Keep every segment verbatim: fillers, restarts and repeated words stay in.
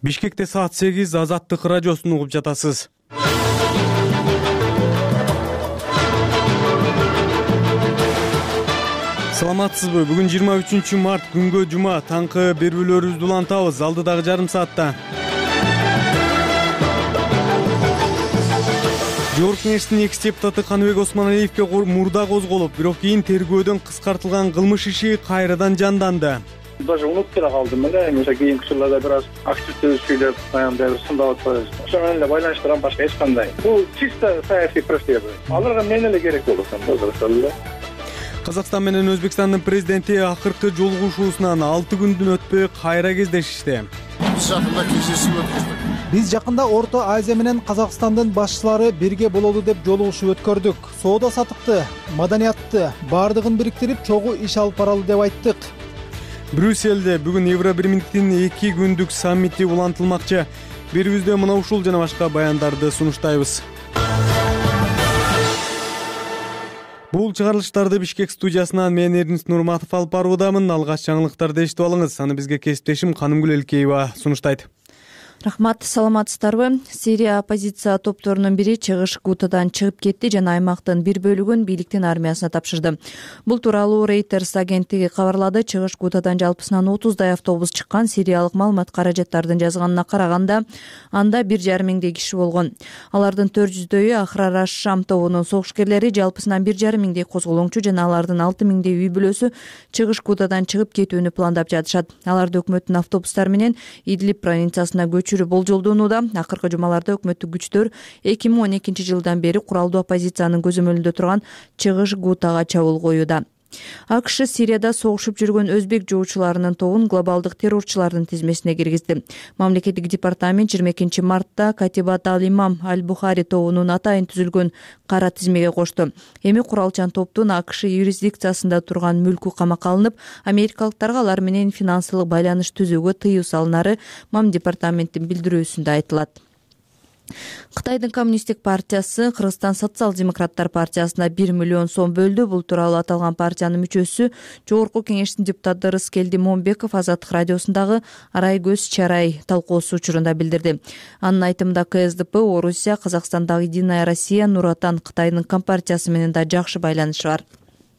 Бишкекте саат сегиз Азаттык радиосун угуп жатасыз. Саламатсызбы? Бүгүн жыйырма үчүнчү март күнгө жума. Таңкы берүүлөрүбүздү улантабыз. Алдыдагы жарым саатта Жогорку Кеңештин экс депутаты Каныбек Осмоналиевке мурда козголуп, бирок кийин тергөөдөн кыскартылган кылмыш иши кайрадан жанданды. Даже унутуп эле калдым эле. Мисалы кийинки учурларда бир аз активдүү сүйлөп, баягындай бир сындап атпайбыз. Ошо менен эле байланыштырган башка эч кандай. Бул чисто саясий протест. Аларга мен эле керек болуп атам. Казакстан менен Өзбекстандын президенти акыркы жолугушуусунан алты күндөн өтпөй кайра кездешишти. Биз жакында кездешүү өткөздүк. Биз жакында Орто Азия менен Казакстандын башчылары бирге бололу деп жолугушуу өткөрдүк. Соода сатыкты, маданиятты баардыгын бириктирип чогуу иш алып баралы деп айттык. Брюссельде бүгүн Евробирмингтин эки күндүк саммити улантылмакчы. Берүүбүздө мына ушул жана башка баяндарды сунуштайбыз. Бул чыгарылыштарды Бишкек студиясынан мен Эрнис Нурматов алып баруудамын. Алгач жаңылыктарды эшитип алыңыз. Аны бизге кесиптешим Канымгүл Элкеева сунуштайт. Рахмат, саламатсыздарбы? Сирия оппозиция топторунун бири Чыгыш Гутадан чыгып кетти жана аймактын бир бөлүгүн бийликтин армиясына тапшырды. Бул тууралуу Reuters агенттиги кабарлады. Чыгыш Гутадан жалпысынан отуздай автобус чыккан. Сириялык маалымат каражаттардын жазганына караганда, анда бир жарым миңдей киши болгон. Алардын төрт жүздөйү Ахрар аш-Шам тобунун согушкерлери, жалпысынан бир жарым миңдей козголоңчу жана алардын алты миңдей үй бүлөсү Чыгыш Гутадан чыгып кетүүнү пландап жатышат. Аларды өкмөттүн автобустары менен Идлиб провинциясына болжолдонууда. Акыркы жумаларда өкмөттүк күчтөр эки миң он экинчи жылдан бери куралдуу оппозициянын көзөмөлүндө турган Чыгыш Гутага чабуул коюуда. АКШ Сирияда согушуп жүргөн өзбек жоочуларынын тобун глобалдык террорчулардын тизмесине киргизди. Мамлекеттик департамент жыйырма экинчи мартта Катибат ал-Имам аль-Бухари тобунун атайын түзүлгөн кара тизмеге кошту. Эми куралчан топтун АКШ юрисдикциясында турган мүлкү камакка алынып, америкалыктарга алар менен финансылык байланыш түзүүгө тыюу салынары Мам департаменттин билдирүүсүндө айтылат. Кытайдын коммунисттик партиясы Кыргызстан социал-демократтар партиясына бир миллион сом бөлдү. Бул тууралуу аталган партиянын мүчөсү Жогорку Кеңештин депутаты Рыскелди Момбеков Азаттык радиосундагы Арай көз чарай талкуусу учурунда билдирди. Анын айтымында ка эс дэ пэ, Орусия, Казакстандагы Единая Россия, Нур Отан Кытайдын компартиясы менен да жакшы байланышы бар.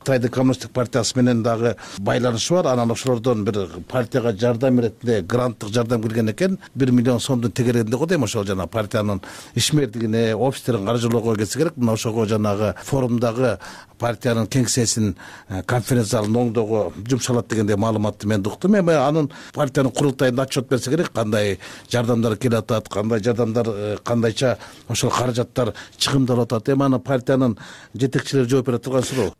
Кытайдын коммунисттик партиясы менен дагы байланышы бар. Анан ошолордон бир партияга жардам иретинде гранттык жардам келген экен. бир миллион сомдун тегерегинде го дейм. Ошол жана партиянын ишмердигине, офистерин каржылоого келсе керек. Мына ошого жанагы форумдагы партиянын кеңсесин, конференц залын оңдоого жумшалат дегендей маалыматты мен уктум. Эми анын партиянын курултайында отчет берсе керек, кандай жардамдар келип атат, кандай жардамдар, кандайча ошол каражаттар чыгымдалып атат. Эми аны партиянын жетекчилери жооп бере турган суроо.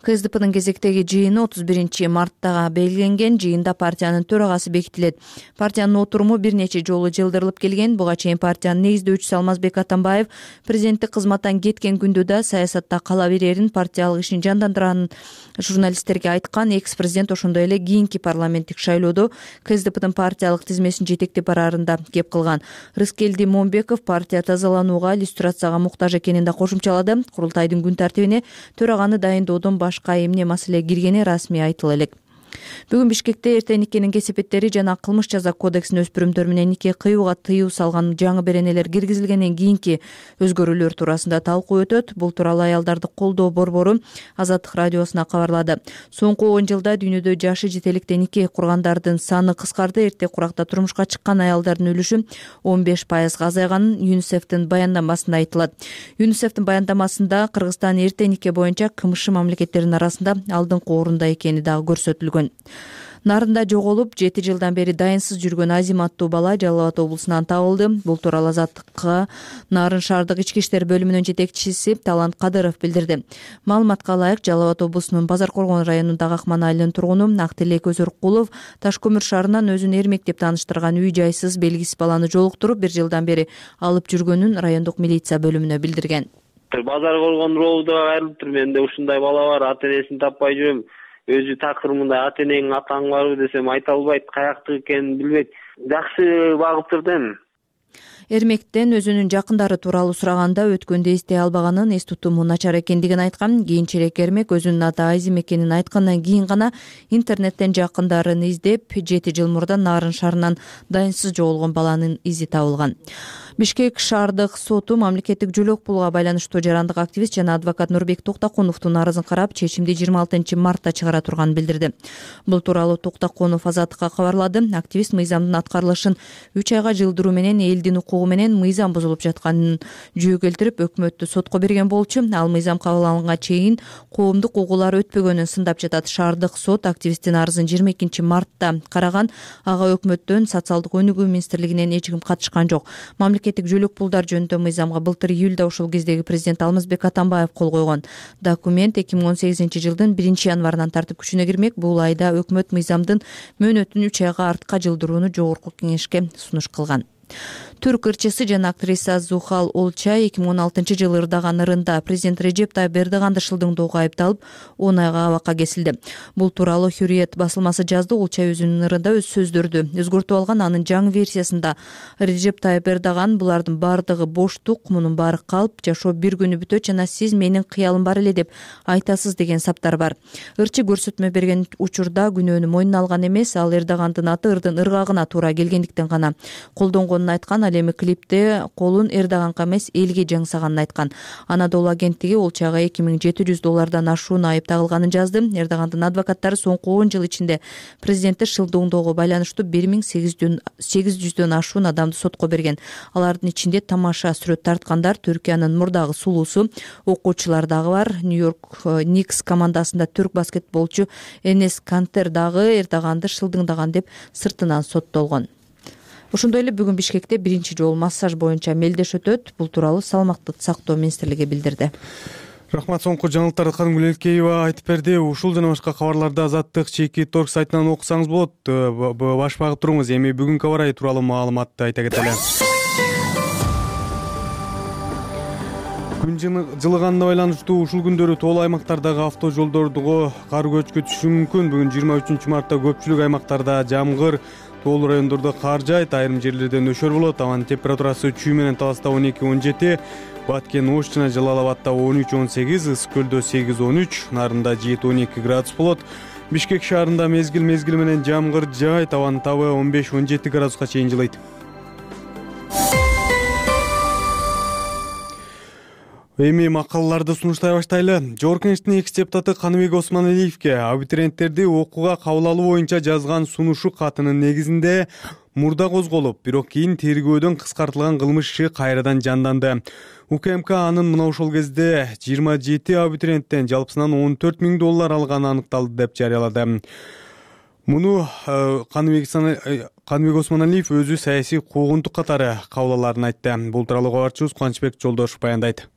ка эс дэ пэдин кезектеги жыйыны отуз биринчи мартта белгиленген. Жыйында партиянын төрагасы бекитилет. Партиянын отуруму бир нече жолу жылдырылып келген. Буга чейин партиянын негиздөөчүсү Алмазбек Атамбаев президенттик кызматтан кеткен күндө да саясатта кала берерин, партиялык ишин жандандыранын журналисттерге айткан. Экс-президент ошондой эле кийинки парламенттик шайлоодо ка эс дэ пэдин партиялык тизмесин жетектеп бараарында кеп кылган. Рыскелди Момбеков партия тазаланууга, иллюстрацияга муктаж экенин да кошумчалады. Курултайдын күн тартибине төраганы дайындоодон башка эмне маселе киргени расмий айтыла элек. Бүгүн Бишкекте эртең никенин кесепеттери жана кылмыш жаза кодексине өспүрүмдөр менен нике кыюуга тыюу салган жаңы беренелер киргизилгенден кийинки өзгөрүүлөр туурасында талкуу өтөт. Бул тууралуу аялдарды колдоо борбору Азаттык радиосуна кабарлады. Соңку он жылда дүйнөдө жашы жете электе нике кургандардын саны кыскарды. Эрте куракта турмушка чыккан аялдардын үлүшү он беш пайызга азайганын ЮНИСЕФтин баяндамасында айтылат. ЮНИСЕФтин баяндамасында Кыргызстан эрте нике боюнча кмш мамлекеттеринин арасында алдыңкы орунда экени дагы көрсөтүлгөн. Нарында жоголуп жети жылдан бери дайынсыз жүргөн Азим аттуу бала Жалал Абад облусунан табылды. Бул тууралуу Азаттыкка Нарын шаардык ички иштер бөлүмүнүн жетекчиси Талант Кадыров билдирди. Маалыматка ылайык, Жалал Абад облусунун Базар Коргон районундагы Акман айылынын тургуну Актилек Өзөркулов Таш көмүр шаарынан өзүн эрмек деп тааныштырган үй жайсыз белгисиз баланы жолуктуруп, бир жылдан бери алып жүргөнүн райондук милиция бөлүмүнө билдирген. Базар Коргон роодуга кайрылып тур. Менде ушундай бала бар, ата энесин таппай жүрөм. Өзү такыр мындай ата энең атаң барбы десем айта албайт, каяктыкы экенин билбейт. Жакшы багып турду эми. Эрмектен өзүнүн жакындары тууралуу сураганда өткөндө эстей албаганын, эс тутуму начар экендигин айткан. Кийинчерээк Эрмек өзүнүн аты Айзем экенин айткандан кийин гана интернеттен жакындарын издеп, жети жыл мурда Нарын шаарынан дайынсыз жоголгон баланын изи табылган. Бишкек шаардык соту мамлекеттик жөлөк пулга байланыштуу жарандык активист жана адвокат Нурбек Токтокуновдун арызын карап, чечимди жыйырма алтынчы мартта чыгара турганын билдирди. Бул тууралуу Токтокунов Азаттыкка кабарлады. Активист мыйзамдын аткарылышын үч айга жылдыруу менен элдин укугу менен мыйзам бузулуп жатканын жөө келтирип, өкмөттү сотко берген болчу. Ал мыйзам кабыл алынганга чейин коомдук угуулар өтпөгөнүн сындап жатат. Шаардык сот активисттин арызын жыйырма экинчи мартта караган. Ага өкмөттөн, социалдык өнүгүү министрлигинен эч ким катышкан жок. Мамлекеттик жөлөк пулдар жөнүндө мыйзамга былтыр июлда ушул кездеги президент Алмазбек Атамбаев кол койгон. Документ эки миң он сегизинчи жылдын биринчи январынан тартып күчүнө кирмек. Бул айда өкмөт мыйзамдын мөөнөтүн үч айга артка жылдырууну жогорку кеңешке сунуш кылган. Түрк ырчысы жана актриса Зухал Олчай эки миң он алтынчы жылы ырдаган ырында президент Режеп Тайып Эрдоганды шылдыңдоого айыпталып, он айга абакка кесилди. Бул тууралуу Hürriyet басылмасы жазды. Олчай өзүнүн ырында өз сөздөрдү өзгөртүп алган. Анын жаңы версиясында Режеп Тайып Эрдоган булардын бардыгы боштук, мунун баары калп, жашоо бир күнү бүтөт жана сиз менин кыялым бар эле деп айтасыз деген саптар бар. Ырчы көрсөтмө берген учурда күнөөнү мойнуна алган эмес. Ал Эрдогандын аты ырдын ыргагына туура келгендиктен гана колдонгонун айткан. Ал эми клипте колун Эрдоганга эмес элге жаңсаганын айткан. Анадолу агенттиги Олчайга эки миң жети жүз доллардан ашуун айып тагылганын жазды. Эрдогандын адвокаттары соңку он жыл ичинде президентти шылдыңдоого байланыштуу бир миң сегиз жүздөн ашуун адамды сотко берген. Алардын ичинде тамаша сүрөт тарткандар, Түркиянын мурдагы сулуусу, окуучулар дагы бар. Нью-Йорк Никс командасында түрк баскетболчу Энес Кантер дагы Эрдоганды шылдыңдаган деп сыртынан соттолгон. Ошондой эле бүгүн Бишкекте биринчи жолу массаж боюнча мелдеш өтөт. Бул тууралуу Саламаттыкты сактоо министрлиги билдирди. Рахмат, соңку жаңылыктарды Канымгүл Элкеева айтып берди. Ушул жана башка кабарларды Азаттык чеки торг сайтынан окусаңыз болот. Баш багып туруңуз. Эми бүгүнкү абар ай тууралуу маалыматты айта кетели. Күн жылыганына байланыштуу ушул күндөрү тоолуу аймактардагы авто жолдордуго кар көчкү мүмкүн. Бүгүн жыйырма үчүнчү мартта көпчүлүк аймактарда жамгыр, тоолуу райондордо кар жаайт, айрым жерлерде нөшөр болот. Абанын температурасы Чүй менен Таласта он эки он жети, Баткен, Ош жана Жалал Абадта он үч он сегиз, Ысык көлдө сегиз он үч, Нарында жети он эки градус болот. Бишкек шаарында мезгил мезгил менен жамгыр жаайт, абанын табы он беш он жети градуска чейин жылыйт. Эми макалаларды сунуштай баштайлы. Жогорку Кеңештин экс депутаты Каныбек Осмоналиевке абитуриенттерди окууга кабыл алуу боюнча жазган сунушу катынын негизинде мурда козголуп, бирок кийин тергөөдөн кыскартылган кылмыш иши кайрадан жанданды. УКМК анын мына ошол кезде жыйырма жети абитуриенттен жалпысынан он төрт миң доллар алганы аныкталды деп жарыялады. Муну Каныбек Осмоналиев өзү саясий куугунтук катары кабыл алаарын айтты. Бул тууралуу кабарчыбыз Кубанычбек Жолдошев баяндайт.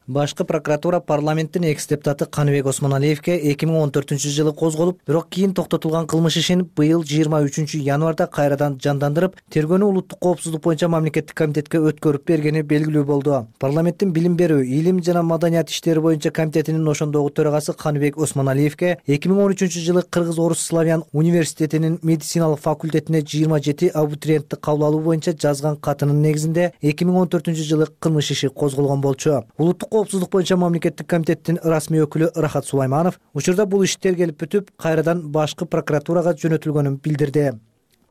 Башкы прокуратура парламенттин экс депутаты Каныбек Осмоналиевке эки миң он төртүнчү жылы козголуп, бирок кийин токтотулган кылмыш ишин быйыл жыйырма үчүнчү январда кайрадан жандандырып, тергөөнү улуттук коопсуздук боюнча мамлекеттик комитетке өткөрүп бергени белгилүү болду. Парламенттин билим берүү, илим жана маданият иштери боюнча комитетинин ошондогу төрагасы Каныбек Осмоналиевке эки миң он үчүнчү жылы Кыргыз-Орус Славян университетинин медициналык факультетине жыйырма жети абитуриентти кабыл алуу боюнча жазган катынын негизинде эки миң он төртүнчү жылы кылмыш иши козголгон болчу. Улуттук коопсуздук боюнча мамлекеттик комитеттин расмий өкүлү Рахат Сулайманов учурда бул иш тергелип бүтүп, кайрадан башкы прокуратурага жөнөтүлгөнүн билдирди.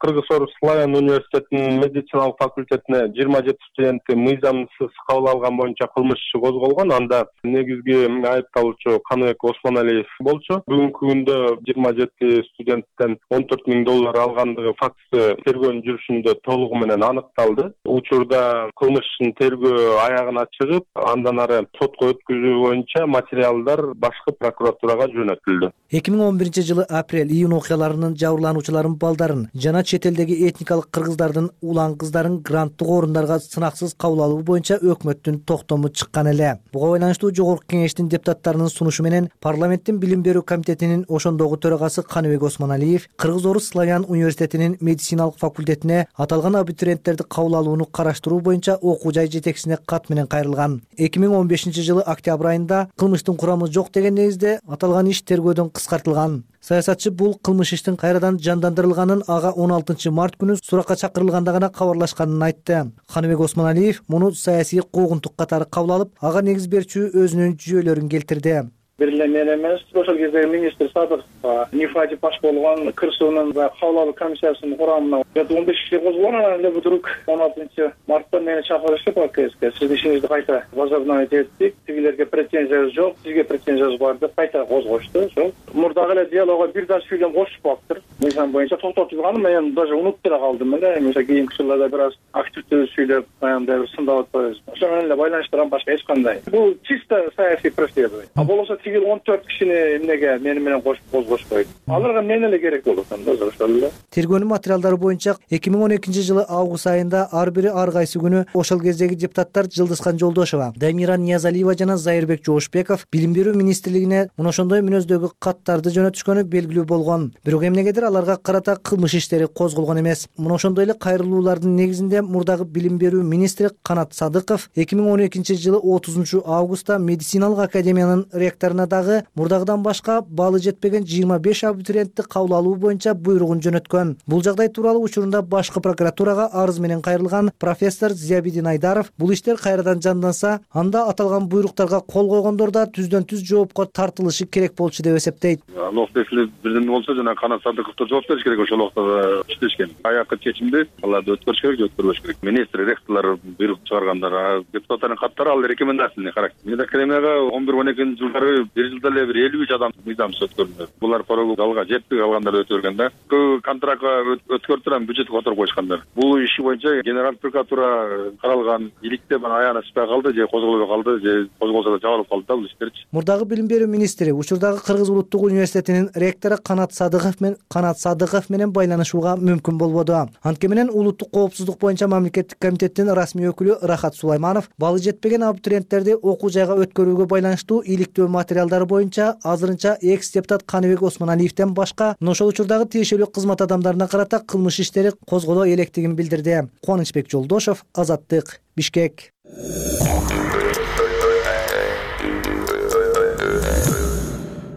Кыргыз-Орус Славян университетинин медициналык факультетине жыйырма жети студентти мыйзамсыз кабыл алган боюнча кылмыш иши козголгон. Анда негизги айыпталуучу Каныбек Осмоналиев болчу. Бүгүнкү күндө жыйырма жети студенттен он төрт миң доллар алгандыгы фактысы тергөөнүн жүрүшүндө толугу менен аныкталды. Учурда кылмыш ишин тергөө аягына чыгып, андан ары сотко өткүзүү боюнча материалдар башкы прокуратурага жөнөтүлдү. эки миң он биринчи жылы апрель-июнь окуяларынын жабырлануучуларын балдарын жана чет элдеги этникалык кыргыздардын улан кыздарын гранттык орундарга сынаксыз кабыл алуу боюнча өкмөттүн токтому чыккан эле. Буга байланыштуу Жогорку Кеңештин депутаттарынын сунушу менен парламенттин билим берүү комитетинин ошондогу төрагасы Каныбек Осмоналиев Кыргыз-Орус Славян университетинин медициналык факультетине аталган абитуриенттерди кабыл алууну караштыруу боюнча окуу жай жетекчисине кат менен кайрылган. эки миң он бешинчи жылы октябрь айында кылмыштын курамы жок деген негизде аталган иш тергөөдөн кыскартылган. Саясатчы бул кылмыш иштин кайрадан жандандырылганын ага он алтынчы март күнү суракка чакырылганда гана кабарлашканын айтты. Каныбек Осмоналиев муну саясий куугунтук катары кабыл алып, ага негиз берчү өзүнүн жүйөлөрүн келтирди. Бир эле мен эмес, ошол кезде министр Садыковго Нифади баш болгон КырСУнун кабыл алуу комиссиясынын курамына он беш киши козголгон, анан эле вдруг он алтынчы мартта мени чакырышып АКСке. Сиздин ишиңизди кайта возобновить эттик, тигилерге претензиябыз жок, сизге претензиябыз бар деп кайта козгошту. Ошол мурдагы эле диалогго бир да сүйлөм кошуп алыптыр. Мыйзам боюнча токтотулган, мен даже унутуп эле калдым эле. Мисалы кийинки жылдарда бир аз активдүү сүйлөп, аябай бир сындап атпайбыз. Ошо менен эле байланыштырган башка эч кандай. Бул чисто саясий преследование. А болбосо тигил он төрт кишини эмнеге мени менен кошуп козгошпойт. Аларга мен эле керек болот анда ошол эле. Тергөөнүн материалдары боюнча эки миң он экинчи жылы август айында ар бири ар кайсы күнү ошол кездеги депутаттар Жылдызхан Жолдошова, Дамира Ниязалиева жана Зайырбек Жоошбеков Билим берүү министрлигине мына ошондой мүнөздөгү каттарды жөнөтүшкөнү белгилүү болгон. Бирок эмнегедир аларга карата кылмыш иштери козголгон эмес. Мына ошондой эле кайрылуулардын негизинде мурдагы Билим берүү министри Канат Садыков эки миң он экинчи жылы отузунчу августта медициналык академиянын ректоруна дагы мурдагыдан башка баалы жетпеген жыйырма беш абитуриентти кабыл алуу боюнча буйругун жөнөткөн. Бул жагдай тууралуу учурунда башкы прокуратурага арыз менен кайрылган профессор Зиябидин Айдаров бул иштер кайрадан жанданса, анда аталган буйруктарга кол койгондор да түздөн түз жоопко тартылышы керек болчу деп эсептейт. Алоктеси бирдеме болсо жана Канат Садыковдор жооп бериш керек, ошол убакта иштешкен. Аякы чечимди аларды өткөрүш керек же өткөрбөш керек. Министр, ректорлор буйрук чыгаргандар, депутаттардын каттары ал рекомендацияны карактер. Медакадемияга он бир он экинчи жылдары бир жылда эле бир элүү үч адам мыйзамсыз өткөрүлдү. Булар порогуга жетпей калгандар өткөргөндө көбү контрактка өткөрүп турган бюджетти которуп коюшкандар. Бул иши боюнча генералдык прокуратура каралган, иликте бана аянышпай калды же козголбой калды же козголсо да жабылып калды да бул иштерчи. Мурдагы Билим берүү министри учурдагы Кыргыз улуттук университетинин ректору Канат Садыков менен Канат Садыков менен байланышууга мүмкүн болбоду. Анткени менен улуттук коопсуздук боюнча мамлекеттик комитеттин расмий өкүлү Рахат Сулайманов баалы жетпеген абитуриенттерди окуу жайга өткөрүүгө байланыштуу иликтөө материалдары боюнча азырынча экс депутат Каныбек Осмоналиевден башка ошол учурдагы тиешелүү кызмат адамдарына карата кылмыш иштери козголо электигин билдирди. Кубанычбек Жолдошов, Азаттык, Бишкек.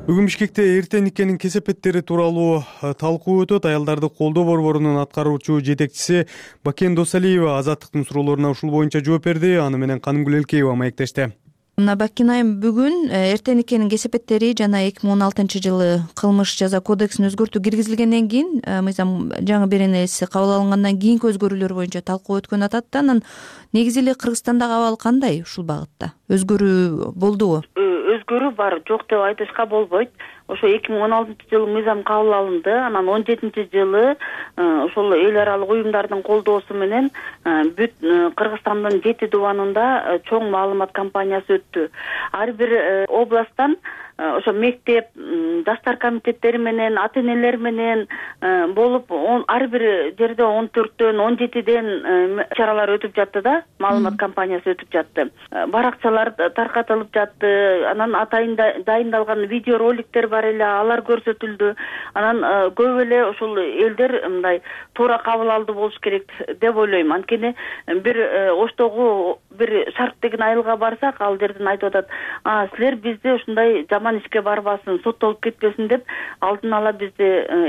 Бүгүн Бишкекте эртең никенин кесепеттери тууралуу талкуу өтөт. Аялдарды колдоо борборунун аткаруучу жетекчиси Бакен Досалиева Азаттыктын суроолоруна ушул боюнча жооп берди. Аны менен Канымгүл Элкеева маектешти. Мына Бакин айым бүгүн эртең никенин кесепеттери жана эки миң он алтынчы жылы кылмыш жаза кодексин өзгөртүү киргизилгенден кийин мыйзам жаңы беренеси кабыл алынгандан кийинки өзгөрүүлөр боюнча талкуу өткөн атат да. Анан негизи эле Кыргызстандагы абал кандай ушул багытта? Өзгөрүү болдубу? Өзгөрүү бар, жок деп айтышка болбойт. Ошо эки миң он алтынчы жылы мыйзам кабыл алынды. Анан он жетинчи жылы ошол эл аралык уюмдардын колдоосу менен бүт Кыргызстандын жети дубанында чоң маалымат кампаниясы өттү. Ар бир областтан ошо мектеп, жаштар комитеттери менен, ата энелер менен болуп, ар бир жерде он төрттөн, он жетиден чаралар өтүп жатты да, маалымат кампаниясы өтүп жатты. Баракчалар таркатылып жатты, анан атайын дайындалган видеороликтер бар эле, алар көрсөтүлдү. Анан көп эле ошол элдер мындай туура кабыл алды болуш керек деп ойлойм. Анткени бир Оштогу бир Шарк деген айылга барсак, ал жерден айтып атат: "А, силер бизди ушундай жаман ишке барбасын, соттолуп кетпесин деп алдын ала бизди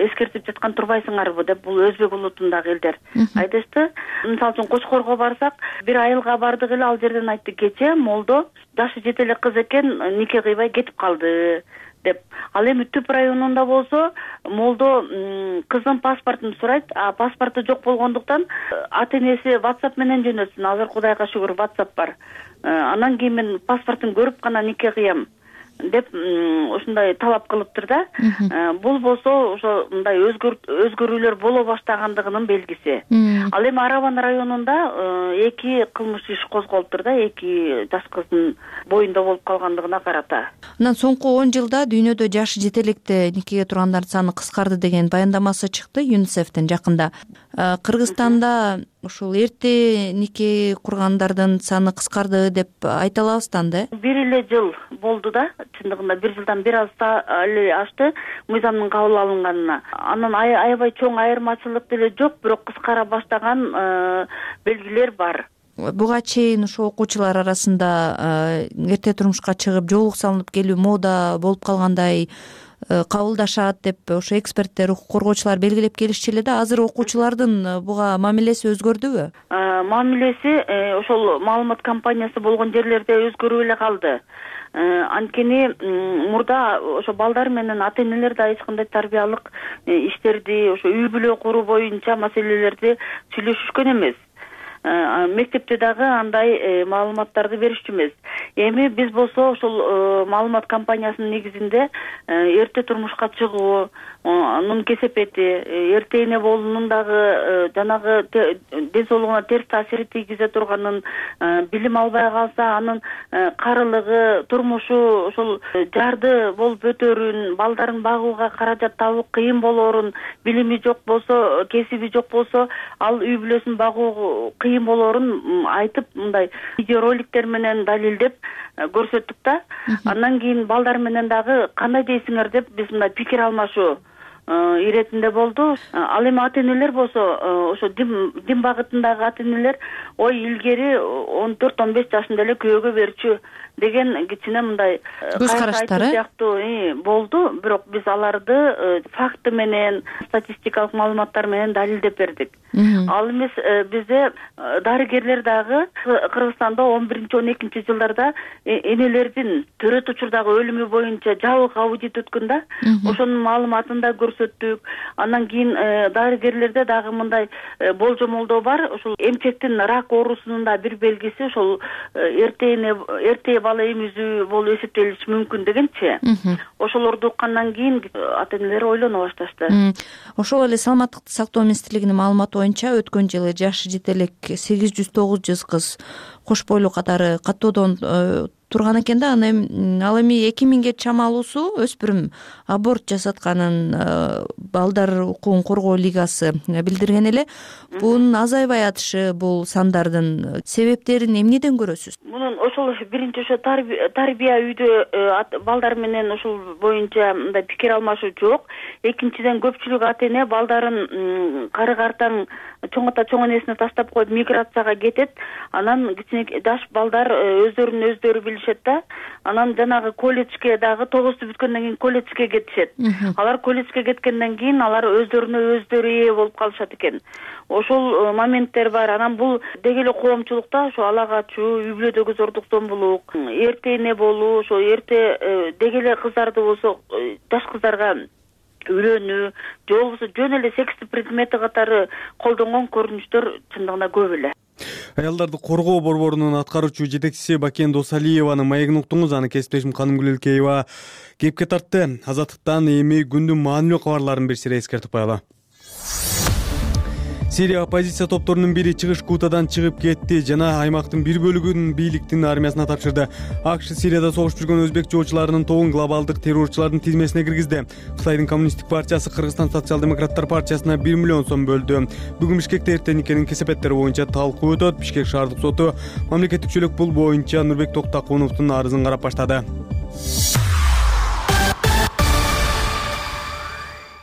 эскертип жаткан турбайсыңарбы" деп, бул өзбек улутундагы элдер айтышты. Мисалы үчүн Кочкорго барсак, бир айылга бардык эле, ал жерден айтты: "Кечээ молдо жашы жете эле кыз экен, нике кыйбай кетип калды" деп. Ал эми Түп районунда болсо, молдо кыздын паспортун сурайт, а паспорту жок болгондуктан ата энеси WhatsApp менен жөнөтсүн. Азыр Кудайга шүгүр WhatsApp бар. Анан кийин мен паспортун көрүп гана нике кыям деп ушундай талап кылыптыр да. Бул болсо ошо мындай өзгөрүүлөр боло баштагандыгынын белгиси. Ал эми Арабан районунда эки кылмыш иш козголуптур да, эки жаш кыздын боюнда болуп калгандыгына карата. Анан соңку он жылда дүйнөдө жашы жете электе никеге тургандардын саны кыскарды деген баяндамасы чыкты ЮНИСЕФтен жакында. Кыргызстанда ушул эрте нике кургандардын саны кыскарды деп айта алабыз да анда? Бир эле жыл болду да, чындыгында бир жылдан бир аз эле ашты мыйзамдын кабыл алынганына. Анан аябай чоң айырмачылык деле жок, бирок кыскара баштаган белгилер бар. Буга чейин ошо окуучулар арасында эрте турмушка чыгып, жоолук салынып келүү мода болуп калгандай кабылдашат деп ошо эксперттер, укук коргоочулар белгилеп келишчү эле да. Азыр окуучулардын буга мамилеси өзгөрдүбү? Мамилеси ошол маалымат компаниясы болгон жерлерде өзгөрүп эле калды. Анткени мурда ошо балдар менен ата энелер да эч кандай тарбиялык иштерди, ошо үй бүлө куруу боюнча маселелерди сүйлөшүшкөн эмес. Мектепте дагы андай маалыматтарды беришчү эмес. Эми биз болсо ошол маалымат компаниясынын негизинде эрте турмушка чыгуу, анын кесепети, эрте эне болуунун дагы жанагы ден соолугуна терс таасири тийгизе турганын, билим албай калса анын карылыгы, турмушу ошол жарды болуп өтөрүн, балдарын багууга каражат табуу кыйын болоорун, билими жок болсо, кесиби жок болсо, ал үй бүлөсүн багуу кыйын болоорун айтып, мындай видеороликтер менен далилдеп көрсөттүк да. Андан кийин балдар менен дагы кандай дейсиңер деп биз мындай пикир алмашуу иретинде болду. Ал эми ата энелер болсо, ошо дин дин багытындагы ата энелер ой илгери он төрт он беш жашында эле күйөөгө берчү деген кичине мындай көз караштары сыяктуу болду. Бирок биз аларды факты менен, статистикалык маалыматтар менен далилдеп бердик. Ал эмес, бизде дарыгерлер дагы Кыргызстанда он биринчи он экинчи жылдарда энелердин төрөт учурдагы өлүмү боюнча жабык аудит өткөн да, ошонун маалыматын да көрсөттүк. Андан кийин дарыгерлерде дагы мындай болжомолдоо бар. Ошол эмчектин рак оорусунун да бир белгиси ошол эрте эне эрте бала эмизүү болуп эсептелиши мүмкүн дегенчи. Ошолорду уккандан кийин ата энелер ойлоно башташты. Ошол эле Саламаттыкты сактоо министрлигинин маалыматы боюнча өткөн жылы жашы жете элек сегиз жүз тогуз жүз кыз кош бойлуу катары каттоодон турган экен да. Ал эми эки миңге чамалуусу өспүрүм аборт жасатканын Балдар укугун коргоо лигасы билдирген эле. Бунун азайбай атышы, бул сандардын себептерин эмнеден көрөсүз? Мунун ошол биринчи ошо тарбия үйдө балдар менен ошол боюнча мындай пикир алмашуу жок. Экинчиден көпчүлүк ата эне балдарын кары картаң чоң ата чоң энесине таштап коюп миграцияга кетет. Анан кичине жаш балдар өздөрүн өздөрү билишет да. Анан жанагы колледжге дагы тогузду бүткөндөн кийин колледжге кетишет. Алар колледжге кеткенден кийин алар өздөрүнө өздөрү ээ болуп калышат экен. Ошол моменттер бар. Анан бул деги эле коомчулукта ошо ала качуу, үй бүлөдөгү зордук зомбулук, эрте эне болуу, ошо эрте деги эле кыздарды болсо жаш кыздарга үйлөнүү, же болбосо жөн эле секстик предмети катары колдонгон көрүнүштөр чындыгында көп эле. Аялдарды коргоо борборунун аткаруучу жетекчиси Бакен Досалиеванын маегин уктуңуз. Аны кесиптешим Каным Гүлөлкеева кепке тартты. Азаттыктан эми күндүн маанилүү кабарларын бир сире эскертип коелу. Сирия оппозиция топторунун бири чыгыш Гутадан чыгып кетти жана аймактын бир бөлүгүн бийликтин армиясына тапшырды. АКШ Сирияда согуш жүргөн өзбек жоочуларынын тобун глобалдык террорчулардын тизмесине киргизди. Кытайдын коммунисттик партиясы Кыргызстан социал-демократтар партиясына бир миллион сом бөлдү. Бүгүн Бишкекте эртеникенин кесепеттери боюнча талкуу өтөт. Бишкек шаардык соту мамлекеттик чөлөк пул боюнча Нурбек Токтакуновдун арызын карап баштады.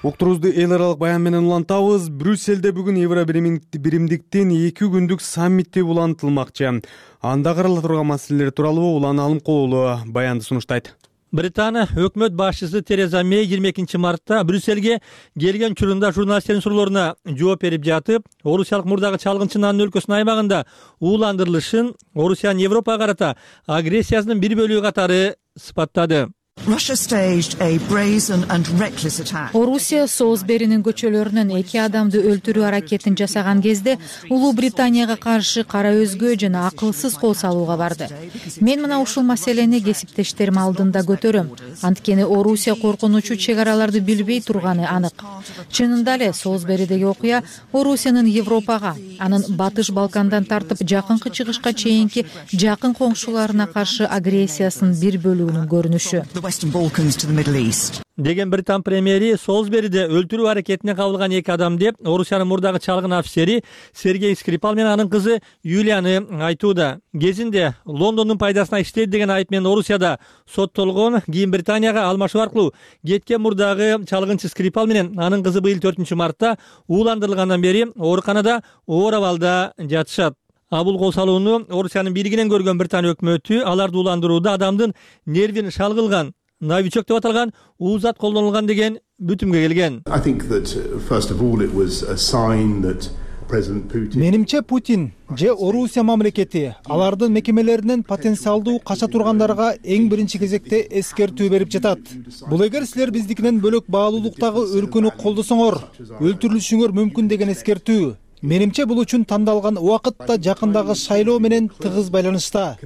Уктурубузду эл аралык баян менен улантабыз. Брюсселде бүгүн Евро биримдиктин эки күндүк саммити улантылмакчы. Анда карала турган маселелер тууралуу Улан Алымкулуу баянды сунуштайт. Британия өкмөт башчысы Тереза Мэй жыйырма экинчи мартта Брюссельге келген учурунда журналисттердин суроолоруна жооп берип жатып, орусиялык мурдагы чалгынчынын анын өлкөсүнүн аймагында ууландырылышын Орусиянын Европага карата агрессиясынын бир бөлүгү катары сыпаттады. Орусия Солсберинин көчөлөрүнөн эки адамды өлтүрүү аракетин жасаган кезде Улуу Британияга каршы кара өзгө жана акылсыз кол салууга барды. Мен мына ушул маселени кесиптештерим алдында көтөрөм. Анткени Орусия коркунучу чек араларды билбей турганы анык. Чынында эле Солсберидеги окуя Орусиянын Европага, анын Батыш Балкандан тартып жакынкы чыгышка чейинки жакын коңшуларына каршы агрессиясынын бир бөлүгүнүн көрүнүшү. Деген Британ премьери Солсбериде өлтүрүү аракетине кабылган эки адам деп Орусиянын мурдагы чалгын офицери Сергей Скрипал менен анын кызы Юлияны айтууда. Кезинде Лондондун пайдасына иштейт деген айып менен Орусияда соттолгон, кийин Британияга алмашуу аркылуу кеткен мурдагы чалгынчы Скрипал менен анын кызы быйыл төртүнчү мартта ууландырылгандан бери ооруканада оор абалда жатышат. А бул кол салууну Орусиянын бийлигинен көргөн Британия өкмөтү аларды ууландырууда адамдын нервин шалгылган, новичок деп аталган уузат колдонулган деген бүтүмгө келген. Менимче Путин же Орусия мамлекети алардын мекемелеринен потенциалдуу кача тургандарга эң биринчи кезекте эскертүү берип жатат. Бул эгер силер биздикинен бөлөк баалуулуктагы өлкөнү колдосоңор, өлтүрүлүшүңөр мүмкүн деген эскертүү. Менимче бул үчүн тандалган убакыт да жакындагы шайлоо менен тыгыз байланышта.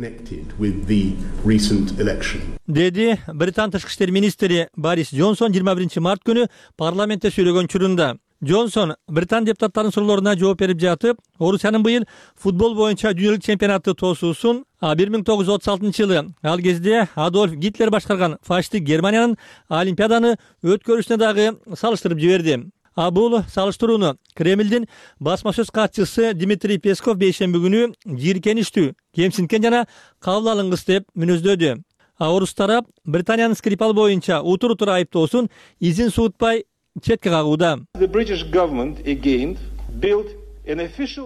Деди Британ тышкы иштер министри Борис Джонсон жыйырма биринчи март күнү парламентте сүйлөгөн учурунда. Джонсон Британ депутаттарынын суроолоруна жооп берип жатып, Орусиянын быйыл футбол боюнча дүйнөлүк чемпионатты тосуусун бир миң тогуз жүз отуз алтынчы жылы ал кезде Адольф Гитлер башкарган фашисттик Германиянын Олимпиаданы өткөрүшүнө дагы салыштырып жиберди. А бул салыштырууну Кремлдин басма сөз катчысы Дмитрий Песков бейшемби күнү жийиркеничтүү, кемсинткен жана кабыл алынгыс деп мүнөздөдү. А орус тарап Британиянын Скрипал боюнча утур утур айыптоосун изин суутпай четке кагууда.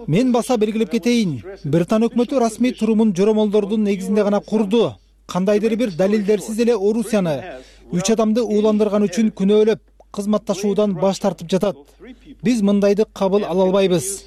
Мен баса белгилеп кетейин, Британ өкмөтү расмий турумун жоромолдордун негизинде гана курду. Кандайдыр бир далилдерсиз эле Орусияны үч адамды ууландырган үчүн күнөөлөп, кызматташуудан баш тартып жатат. Биз мындайды кабыл ала албайбыз.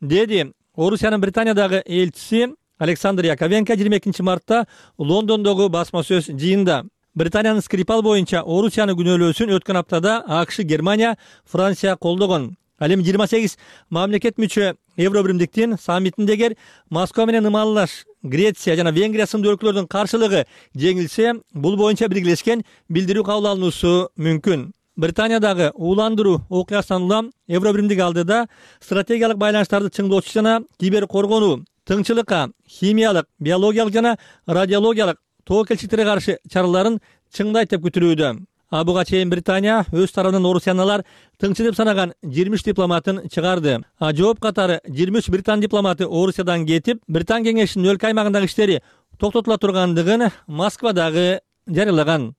Деди Орусиянын Британиядагы элчиси Александр Яковенко жыйырма экинчи мартта Лондондогу басма сөз жыйында. Британиянын Скрипал боюнча Орусияны күнөөлөөсүн өткөн аптада АКШ, Германия, Франция колдогон. Ал эми жыйырма сегиз мамлекет мүчө Евробиримдиктин саммитиндегер Москва менен ымалаш Греция жана Венгрия сындуу өлкөлөрдүн каршылыгы жеңилсе, бул боюнча биргелешкен билдирүү кабыл алынуусу мүмкүн. Британиядагы ууландыруу окуясынан улам Евробиримдик алдыда стратегиялык байланыштарды чыңдоочу жана кибер коргонуу, тыңчылыкка, химиялык, биологиялык жана радиологиялык тоокелчиликтерге каршы чараларын чыңдайт деп күтүлүүдө. А буга чейин Британия өз тарабынан Орусияналар тыңчы деп санаган жыйырма үч дипломатын чыгарды. А жооп катары жыйырма үч британ дипломаты Орусиядан кетип, Британ кеңешинин өлкө аймагындагы иштери токтотула тургандыгын Москвадагы жарыялаган.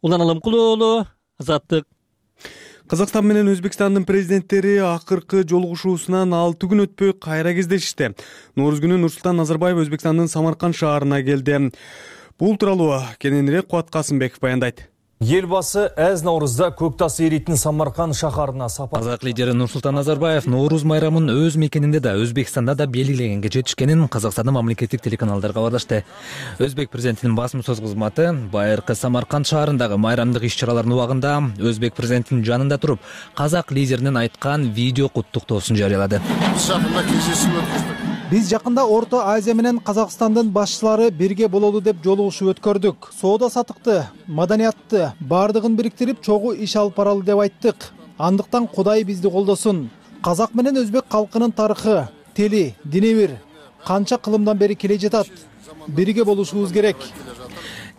Улан Алымкулуу, Азаттык. Казакстан менен Өзбекстандын президенттери акыркы жолугушуусунан алты күн өтпөй кайра кездешти. Нооруз күнү Нурсултан Назарбаев Өзбекстандын Самарканд шаарына келди. Бул тууралуу кененирээк Кубат Касымбеков баяндайт. Елбасы әз наурызда көктас эрийтин Самарканд шахарына сапар. Казак лидери Нурсултан Назарбаев Ноорuz майрамын өз мекенинде да Өзбекстанда да белгилегенге жетишкенин Казакстандын мамлекеттик телеканалдары кабарлашты. Өзбек президентинин басма сөз кызматы байыркы Самарканд шаарындагы майрамдык иш-чаралардын убагында Өзбек президентинин жанында туруп, казак лидеринин айткан видео куттуктоосун жарыялады. Биз жакында Орто Азия менен Казакстандын башчылары бирге бололу деп жолугушуу өткөрдүк. Соода сатыкты, маданиятты бардыгын бириктирип чогуу иш алып баралы деп айттык. Андыктан Кудай бизди колдосун. Казак менен өзбек калкынын тарыхы, тили, дини бир канча кылымдан бери келе жатат. Бирге болушубуз керек.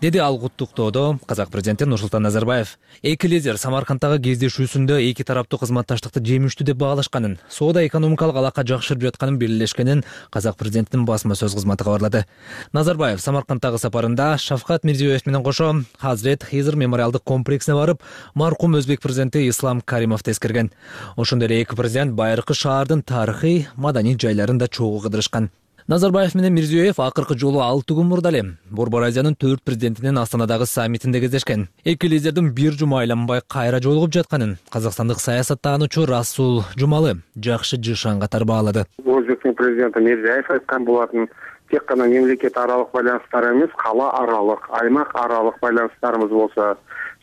Деди ал куттуктоодо казак президенти Нурсултан Назарбаев. Эки лидер Самаркандтагы кездешүүсүндө эки тараптуу кызматташтыкты жемиштүү деп баалашканын, соода экономикалык алака жакшырып жатканын белгилешкенин казак президентинин басма сөз кызматы кабарлады. Назарбаев Самаркандтагы сапарында Шавкат Мирзиёев менен кошо Хазрет Хизр мемориалдык комплексине барып, маркум өзбек президенти Ислам Каримовду эскерген. Ошондой эле эки президент байыркы шаардын тарыхый, маданий жайларын да чогуу кыдырышкан. Назарбаев менен Мирзиёев акыркы жолу алты күн мурда эле Борбор Азиянын төрт президентинин Астанадагы саммитинде кездешкен. Эки лидердин бир жума айланбай кайра жолугуп жатканын казакстандык саясаттануучу Расул Жумалы жакшы жышан катары баалады. Өзбектин президенти Мирзиёев айткан болатын, тек гана мемлекет аралык байланыштар эмес, кала аралык, аймак аралык байланыштарыбыз болсо,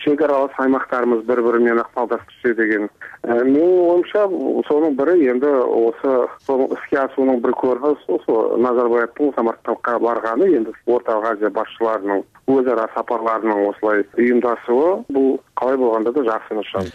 чек аралык аймактарыбыз бири-бири менен ыкмалдашып деген. Менин оюмча, сонун бири энди осы иске асуунун бир көрүнүшү ошо Назарбаевдин Самаркандка барганы, энди Орто Азия башчыларынын өз ара сапарларынын осулай уюмдашуусу, бул калай болгондо да жакшы нышан.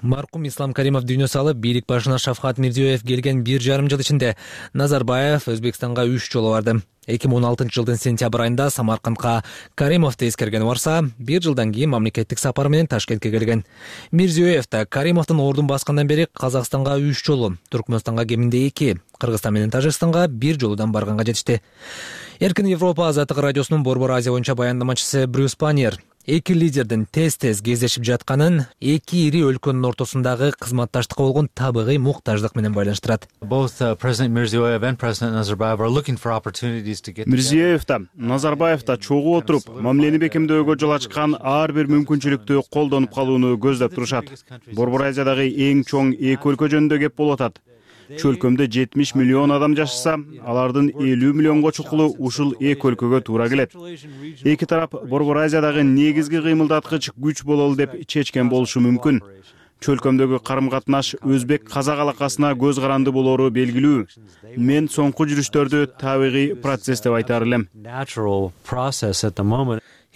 Маркум Ислам Каримов дүйнө салып, бийлик башына Шавкат Мирзиёев келген бир жарым жыл ичинде Назарбаев Өзбекстанга үч жолу барды. эки миң он алтынчы жылдын сентябрь айында Самаркандка Каримовду эскерген барса, бир жылдан кийин мамлекеттик сапар менен Ташкентке келген. Мирзиёев да Каримовдун ордун баскандан бери Казакстанга үч жолу, Түркмөнстанга кеминде эки, Кыргызстан менен Тажикстанга бир жолудан барганга жетишти. Эркин Европа азаттык радиосунун Борбор Азия боюнча баяндамачысы Брюс Паньер эки лидердин тез-тез кездешип жатканын эки ири өлкөнүн ортосундагы кызматташтыкка болгон табигый муктаждык менен байланыштырат. Мирзиёев да, Назарбаев да чогуу отуруп, мамилени бекемдөөгө жол ачкан ар бир мүмкүнчүлүктү колдонуп калууну көздөп турушат. Борбор Азиядагы эң чоң эки өлкө жөнүндө кеп болуп атат. Чөлкөмдө жетимиш миллион адам жашаса, алардын элүү миллионго чукулу ушул эки өлкөгө туура келет. Эки тарап Борбор Азиядагы негизги кыймылдаткыч күч бололу деп чечкен болушу мүмкүн. Чөлкөмдөгү карым-катнаш өзбек-казак алакасына көз каранды болору белгилүү. Мен соңку жүрүштөрдү табигый процесс деп айтар элем.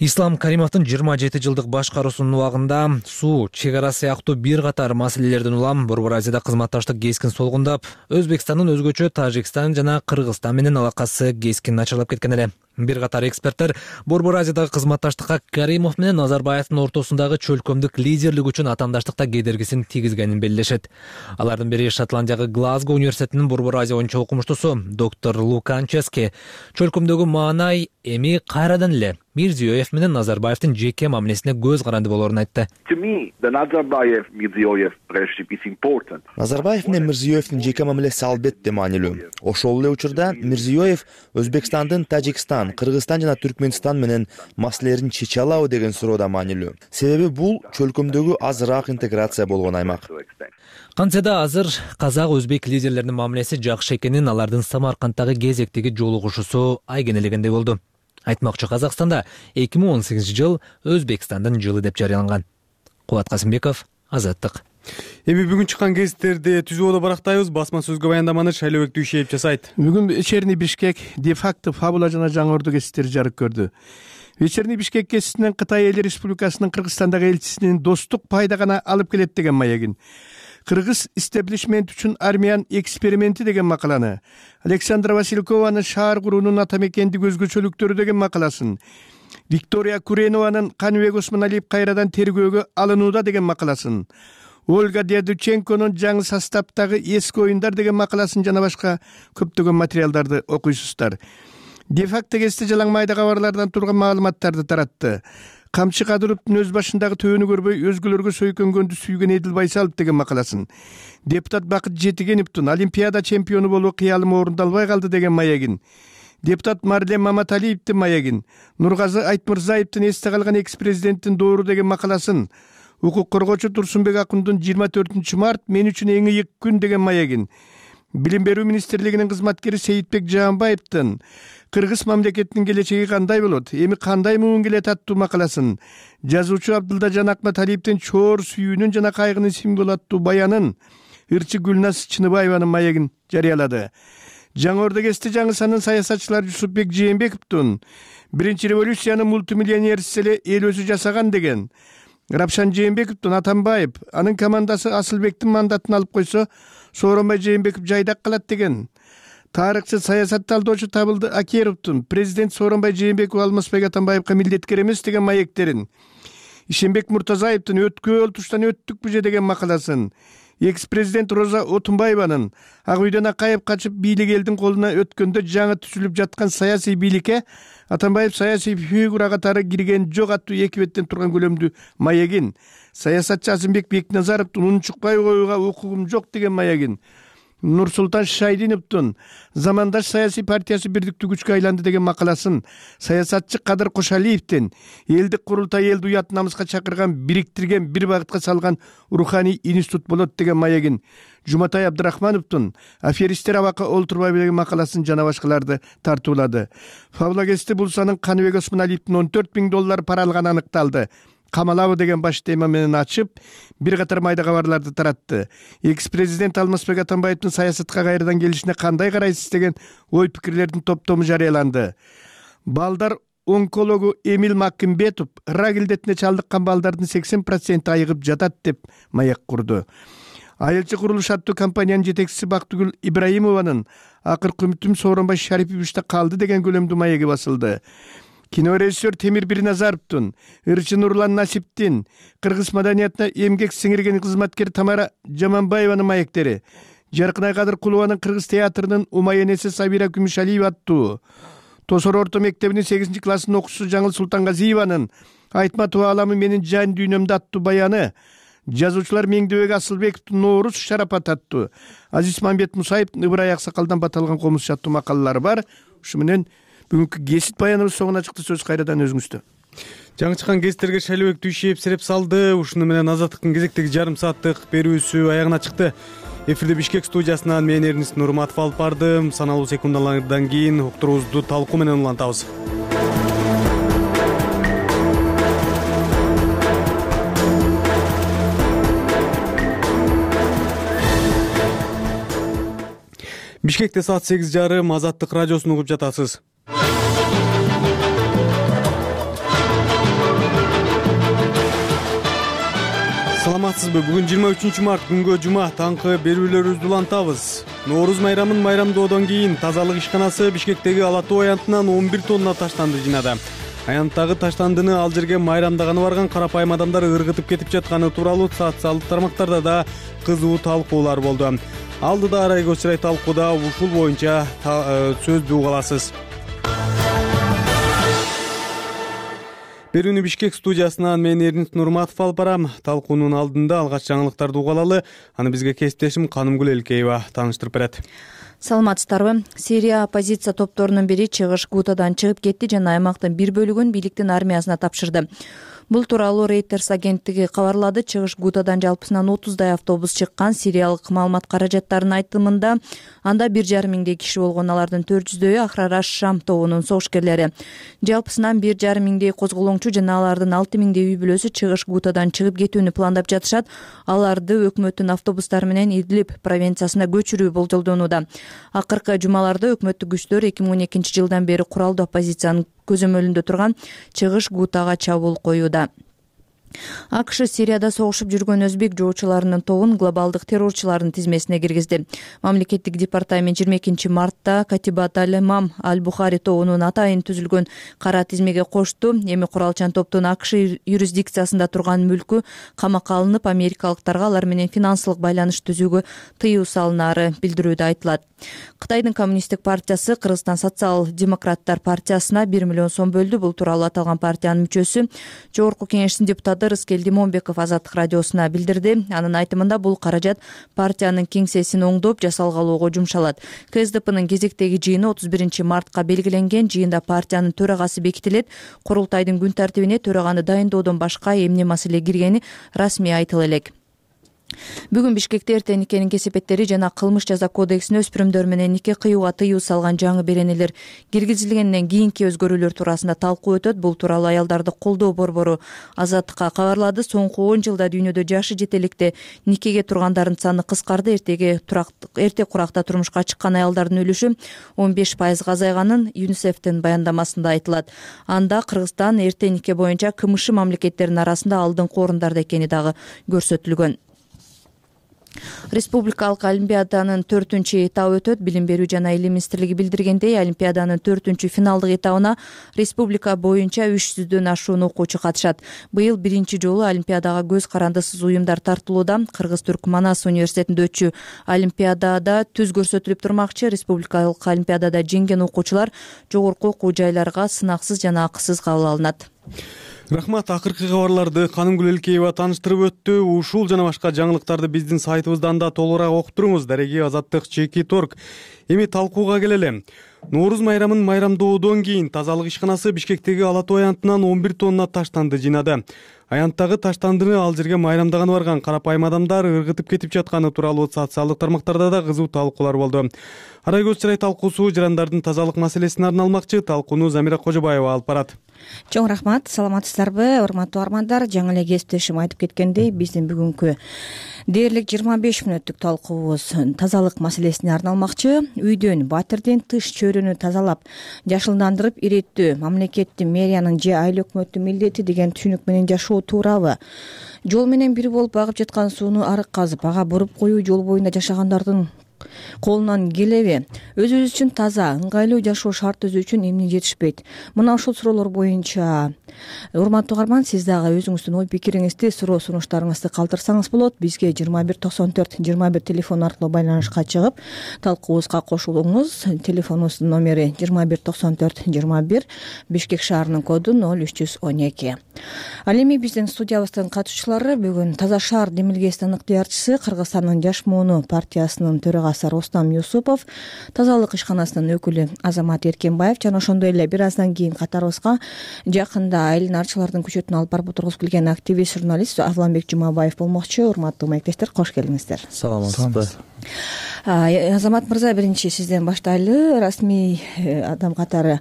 Ислам Каримовдун жыйырма жети жылдык башкаруусунун убагында суу, чек ара сыяктуу бир катар маселелерден улам Борбор Азияда кызматташтык кескин солгундап, Өзбекстандын өзгөчө Тажикстан жана Кыргызстан менен алакасы кескин начарлап кеткен эле. Бир катар эксперттер Борбор Азиядагы кызматташтыкка Каримов менен Назарбаевдин ортосундагы чөлкөмдүк лидерлик үчүн атаандаштыкта кедергисин тийгизгенин белгилешет. Алардын бири Шотландиягы Глазго университетинин Борбор Азия боюнча окумуштусу доктор Лукан Чески. Чөлкөмдөгү маанай эми кайрадан эле Мирзиёев менен Назарбаевдин жеке мамилесине көз каранды болоорун айтты. Назарбаев менен Мирзиёевдин жеке мамилеси албетте маанилүү. Ошол эле учурда Мирзиёев Өзбекстандын Тажикстан, Кыргызстан жана Түркмөнстан менен маселелерин чече алабы деген суроо да маанилүү. Себеби бул чөлкөмдөгү азыраак интеграция болгон аймак. Кантсе да азыр казак-өзбек лидерлеринин мамилеси жакшы экенин алардын Самаркандтагы кезектеги жолугушуусу айгинелегендей болду. Айтмакчы, Казакстанда эки миң он сегизинчи жыл Өзбекстандын жылы деп жарыяланган. Кубат Касымбеков, Азаттык. Эми бүгүн чыккан гезиттерди түзүүгө барактайбыз. Басма сөзгө баяндаманы Шайлообек Дүйшеев жасайт. Бүгүн вечерний Бишкек, де-факто, фабула жана жаңы орду гезиттери жарык көрдү. Вечерний Бишкек гезитинен Кытай Эл Республикасынын Кыргызстандагы элчисинин достук пайда гана алып келет деген маягин, Кыргыз истеблишмент үчүн армиянын эксперименти деген макаланы, Александра Василькованын шаар куруунун атамекендик өзгөчөлүктөрү деген макаласын, Виктория Куренованын Каныбек Осмоналиев кайрадан тергөөгө алынууда деген макаласын, Ольга Дядученконун жаңы составдагы эски оюндар деген макаласын жана башка көптөгөн материалдарды окуйсуздар. Де-факто гезити жалаң майда кабарлардан турган маалыматтарды таратты. Камчы Кадыровдун өз башындагы төөнү көрбөй өзгөлөргө сөйкөнгөндү сүйгөн Эдил Байсалов деген макаласын, депутат Бакыт Жетигеновдун Олимпиада чемпиону болуу кыялымы орундалбай калды деген маягин, депутат Марлен Маматалиевдин маягин, Нургазы Айтмырзаевдин эсте калган экс-президенттин доору деген макаласын, укук коргоочу Турсунбек Акундун жыйырма төртүнчү март мен үчүн эң ыйык күн деген маягин, Билим берүү министрлигинин кызматкери Сейитбек Жаанбаевдин Кыргыз мамлекетинин келечеги кандай болот, эми кандай муун келет аттуу макаласын, жазуучу Абдылдажан Акматалиевдин чоор сүйүүнүн жана кайгынын символу аттуу баянын, ырчы Гүлназ Чыныбаеванын маягин жарыялады. Жаңы орду гезити жаңы санын саясатчылар Жусупбек Жээнбековдун биринчи революциянын мультимиллионерси эле эл өзү жасаган деген, Рапшан Жээнбековдун Атамбаев анын командасы Асылбектин мандатын алып койсо, Сооронбай Жээнбеков жайдак калат деген, тарыхчы саясат талдоочу Табылды Акеровдун президент Сооронбай Жээнбеков Алмазбек Атамбаевка милдеткер эмес деген маектерин, Ишенбек Муртазаевдин өткөөл туштан өттүкпү же деген макаласын, экс-президент Роза Отунбаеванын Ак үйдөн акайып качып бийлик элдин колуна өткөндө жаңы түзүлүп жаткан саясий бийликке Атамбаев саясий фигура катары кирген жок аттуу эки беттен турган көлөмдүү маегин, саясатчы Азымбек Бекназаровдун унчукпай коюуга укугум жок деген маегин, Нурсултан Шайдиновдун замандаш саясий партиясы бирдиктүү күчкө айланды деген макаласын, саясатчы Кадыр Кошалиевдин элдик курултай элди уят намыска чакырган, бириктирген, бир багытка салган руханий институт болот деген маегин, Жуматай Абдрахмановдун аферисттер абакка олтурбайбы деген макаласын жана башкаларды тартуулады. Фабула гезити бул санын Каныбек Осмоналиевдин он төрт миң доллар пара алганы аныкталды. Камалабы деген баш тема менен ачып, бир катар майда кабарларды таратты. Экс-президент Алмазбек Атамбаевдин саясатка кайрадан келишине кандай карайсыз деген ой пикирлердин топтому жарыяланды. Балдар онкологу Эмил Маккимбетов рак илдетине чалдыккан балдардын сексен проценти айыгып жатат деп маяк курду. Айылчы курулуш аттуу компаниянын жетекчиси Бактыгүл Ибраимованын акыркы үмүтүм Сооронбай Шариповичте калды деген көлөмдүү маяги басылды. Кинорежиссер Темир Бирназаровдун, ырчы Нурлан Насиптин, кыргыз маданиятына эмгек сиңирген кызматкер Тамара Жаманбаеванын маектери, Жаркынай Кадыр Кулованын кыргыз театрынын Умай энеси Сабира Күмүшалиева аттуу, Тосор орто мектебинин сегизинчи классын окуучусу Жаңыл Султангазиеванын Айтматова аламы менин жан дүйнөмдө аттуу баяны, жазуучулар Меңдебек Асылбеков Нооруз шарапат аттуу, Азиз Мамбет Мусаев Ыбырай Аксакалдан баталган комуз аттуу макалалары бар. Ушу менен бүгүнкү кесип баяныбыз соңуна чыкты. Сөз кайрадан өзүңүздө. Жаңы чыккан кесиптерге Шайлыбек Дүйшиев сереп салды. Ушуну менен Азаттыктын кезектеги жарым сааттык берүүсү аягына чыкты. Эфирде Бишкек студиясынан мен Эрнис Нурматов алып бардым. Саналуу секундалардан кийин уктуруубузду талкуу менен улантабыз. Бишкекте саат сегиз жарым Азаттык радиосун угуп жатасыз. Саламатсызбы? Бүгүн жыйырма үчүнчү март күнгө жума таңкы берүүлөрүбүздү улантабыз. Нооруз майрамын майрамдоодон кийин тазалык ишканасы Бишкектеги Ала Тоо аянтынан он бир тонна таштанды жыйнады. Аянттагы таштандыны ал жерге майрамдаганы барган карапайым адамдар ыргытып кетип жатканы тууралуу социалдык тармактарда да кызуу талкуулар болду. Алдыда Арай Көчүрай талкууда ушул боюнча сөздү уга аласыз. Берүүнү Бишкек студиясынан мен Эрнис Нурматов алып барам. Талкуунун алдында алгач жаңылыктарды уга алалы. Аны бизге кесиптешим Канымгүл Элкеева тааныштырып берет. Саламатсыздарбы? Сирия оппозиция топторунун бири чыгыш Гутадан чыгып кетти жана аймактын бир бөлүгүн бийликтин армиясына тапшырды. Бул тууралуу Reuters агенттиги кабарлады. Чыгыш Гутадан жалпысынан отуздай автобус чыккан. Сириялык маалымат каражаттарынын айтымында анда бир жарым миңдей киши болгон. Алардын төрт жүздөйү Ахрараш Шам тобунун согушкерлери. Жалпысынан бир жарым миңдей козголоңчу жана алардын алты миңдей үй бүлөсү Чыгыш Гутадан чыгып кетүүнү пландап жатышат. Аларды өкмөттүн автобустары менен Идлиб провинциясына көчүрүү болжолдонууда. Акыркы жумаларда өкмөттүк күчтөр эки миң он экинчи жылдан бери куралдуу оппозициянын көзөмөлүндө турган Чыгыш Гутага чабуул коюуда. АКШ Сирияда согушуп жүргөн өзбек жоочуларынын тобун глобалдык террорчулардын тизмесине киргизди. Мамлекеттик департамент жыйырма экинчи мартта Катибат Аль-Имам Аль-Бухари тобунун атайын түзүлгөн кара тизмеге кошту. Эми куралчан топтун АКШ юрисдикциясында турган мүлкү камакка алынып, америкалыктарга алар менен финансылык байланыш түзүүгө тыюу салынаары билдирүүдө айтылат. Кытайдын коммунисттик партиясы Кыргызстан социал-демократтар партиясына бир миллион сом бөлдү. Бул тууралуу аталган партиянын мүчөсү Жогорку кеңештин депутаты Рыскел Димонбеков Азаттык радиосуна билдирди. Анын айтымында бул каражат партиянын кеңсесин оңдоп жасалгалоого жумшалат. КСДПнын кезектеги жыйыны отуз биринчи мартка белгиленген. Жыйында партиянын төрагасы бекитилет. Курултайдын күн тартибине төраганы дайындоодон башка эмне маселе киргени расмий айтыла элек. Бүгүн Бишкекте эртең никенин кесепеттери жана кылмыш жаза кодексине өспүрүмдөр менен нике кыюуга тыюу салган жаңы беренелер киргизилгенден кийинки өзгөрүүлөр туурасында талкуу өтөт. Бул тууралуу аялдарды колдоо борбору Азаттыкка кабарлады. Соңку он жылда дүйнөдө жашы жете электе никеге тургандардын саны кыскарды. Эртеге эрте куракта турмушка чыккан аялдардын үлүшү он беш пайызга азайганын ЮНИСЕФтин баяндамасында айтылат. Анда Кыргызстан эрте нике боюнча КМШ мамлекеттеринин арасында алдыңкы орундарда экени дагы көрсөтүлгөн. Республикалык олимпиаданын төртүнчү этабы өтөт. Билим берүү жана илим министрлиги билдиргендей, олимпиаданын төртүнчү финалдык этабына республика боюнча үч жүздөн ашуун окуучу катышат. Быйыл биринчи жолу олимпиадага көз карандысыз уюмдар тартылууда. Кыргыз-Түрк Манас университетинде өтчү олимпиадада түз көрсөтүлүп турмакчы. Республикалык олимпиадада жеңген окуучулар жогорку окуу жайларга сынаксыз жана акысыз кабыл алынат. Рахмат. Акыркы кабарларды Канымгүл Элкеева тааныштырып өттү. Ушул жана башка жаңылыктарды биздин сайтыбыздан да толугураак окуп туруңуз. Дареги Азаттык чекит орг. Эми талкууга келели. Нооруз майрамын майрамдоодон кийин тазалык ишканасы Бишкектеги Ала Тоо аянтынан он бир тонна таштанды жыйнады. Аянттагы таштандыны ал жерге майрамдаганы барган карапайым адамдар ыргытып кетип жатканы тууралуу социалдык тармактарда да кызуу талкуулар болду. Арай Көчүрай талкуусу жарандардын тазалык маселесине арналмакчы. Талкууну Замира Кожобаева алып барат. Чоң рахмат. Саламатсыздарбы, урматтуу армандар? Жаңы эле кесиптешим айтып кеткендей, биздин бүгүнкү дээрлик жыйырма беш мүнөттүк талкуубуз тазалык маселесине арналмакчы. Үйдөн, батирден тыш чөйрөнү тазалап, жашылдандырып иреттөө мамлекеттин, мэриянын же айыл өкмөттүн милдети деген түшүнүк менен жашоо туурабы? Жол менен бир болуп агып жаткан сууну арык казып, ага буруп коюу жол боюнда жашагандардын колунан келеби? Өзүбүз үчүн таза, ыңгайлуу жашоо шарт түзүү үчүн эмне жетишпейт? Мына ушул суроолор боюнча урматтуу угарман, сиз дагы өзүңүздүн ой пикириңизди, суроо сунуштарыңызды калтырсаңыз болот. Бизге жыйырма бир токсон төрт жыйырма бир телефон аркылуу байланышка чыгып талкуубузга кошулуңуз. Телефонубуздун номери жыйырма бир токсон төрт жыйырма бир, Бишкек шаарынын коду ноль үч жүз он эки. Ал эми биздин студиябыздын катышуучулары бүгүн Таза шаар демилгесинин ыктыярчысы, Кыргызстандын Жаш мууну партиясынын төрагасы Рустам Юсупов, тазалык ишканасынын өкүлү Азамат Эркенбаев жана ошондой эле бир аздан кийин катарыбызга жакында айланарчылардын күчөтүн алып барып отургузуп келген активист журналист Агланбек Жумабаев болмокчу. Урматтуу маектештер, кош келиңиздер. Саламатсызбы? Азамат мырза, биринчи сизден баштайлы. Расмий адам катары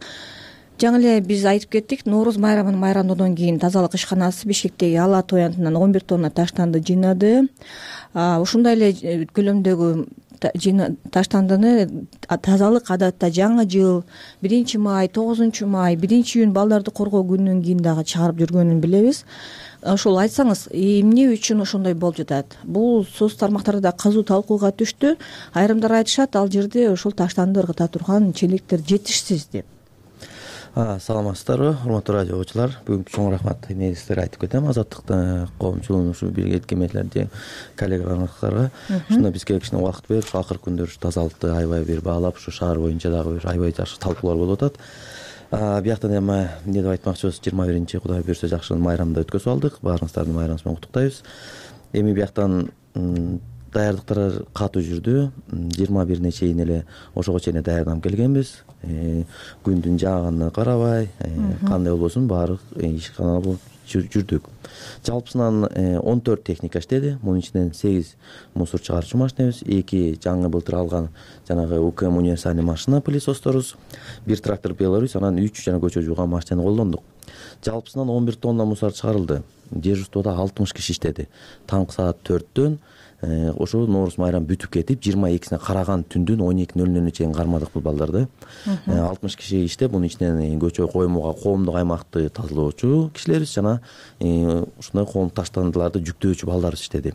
жаңы эле биз айтып кеттик, Нооруз майрамын майрамдоодон кийин тазалык ишканасы Бишкектеги Ала Тоянтынан он бир тонна таштанды жыйнады. Ушундай эле көлөмдөгү таштандыны тазалык адатта жаңы жыл, биринчи май, тогузунчу май, биринчи июнь балдарды коргоо күнүнөн кийин дагы чыгарып жүргөнүн билебиз. Ошол айтсаңыз, эмне үчүн ошондой болуп жатат? Бул соц тармактарда кызуу талкууга түштү. Айрымдар айтышат, ал жерде ошол таштанды ыргыта турган челектер жетишсиз деп. Саламатсыздарбы, урматтуу радио окуучулар? Бүгүнкү чоң рахмат эмеңизге айтып кетем. Азаттыктын коомчулугунун ушу бирге эткемелерди, коллегаларга. Ушунда бизге кичине убакыт берип, ушу акыркы күндөр ушу тазалыкты аябай бир баалап, ушу шаар боюнча дагы бир аябай жакшы талкуулар болуп атат. Бияктан эми эмне деп айтмакчыбыз, жыйырма биринчи Кудай буюрса жакшы майрамды өткөзүп алдык. Баарыңыздарды майрамыңыз менен куттуктайбыз. Эми бияктан даярдыктар катуу жүрдү. жыйырма бирине чейин эле ошого чейин даярданып келгенбиз. Күндүн жааганына карабай, кандай болбосун баардык ишкана болуп жүрдүк. Жалпысынан он төрт техника иштеди. Мунун ичинен сегиз мусор чыгарчу машинебиз, эки жаңы былтыр алган жанагы УКМ универсальный машина пылесосторубуз, бир трактор Беларусь, анан үч жана көчө жууган машинени колдондук. Жалпысынан он бир тонна мусор чыгарылды. Дежурствода алтымыш киши иштеди. Таңкы саат төрттөн ошо Нооруз майрам бүтүп кетип, жыйырма экисине караган түндүн он эки нөл нөлүнө чейин кармадык бул балдарды. алтымыш киши иштеп, мунун ичинен көчө коюмга коомдук аймакты тазалоочу кишилерибиз жана ушундай коом таштандыларды жүктөөчү балдарыбыз иштеди.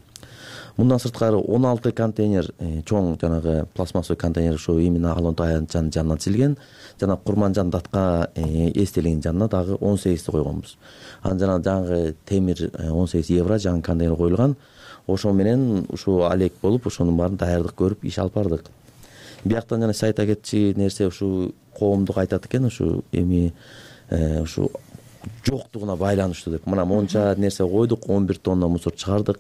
Мындан сырткары он алты контейнер, чоң жанагы пластмассовый контейнер ушу именно Ала Тоянтчанын жанынан тизилген, жана Курманжан датка эстелигинин жанына дагы он сегизди койгонбуз. Анан жана жаңы темир он сегиз евро жаңы контейнер коюлган. Ошо менен ушу алек болуп, ошонун баарын даярдык көрүп иш алып бардык. Бияктан жана сайт кетчи нерсе ушу коомдук айтат экен, ушу эми ушу жоктугуна байланыштуу деп. Мына монча нерсе койдук, он бир тонна мусор чыгардык.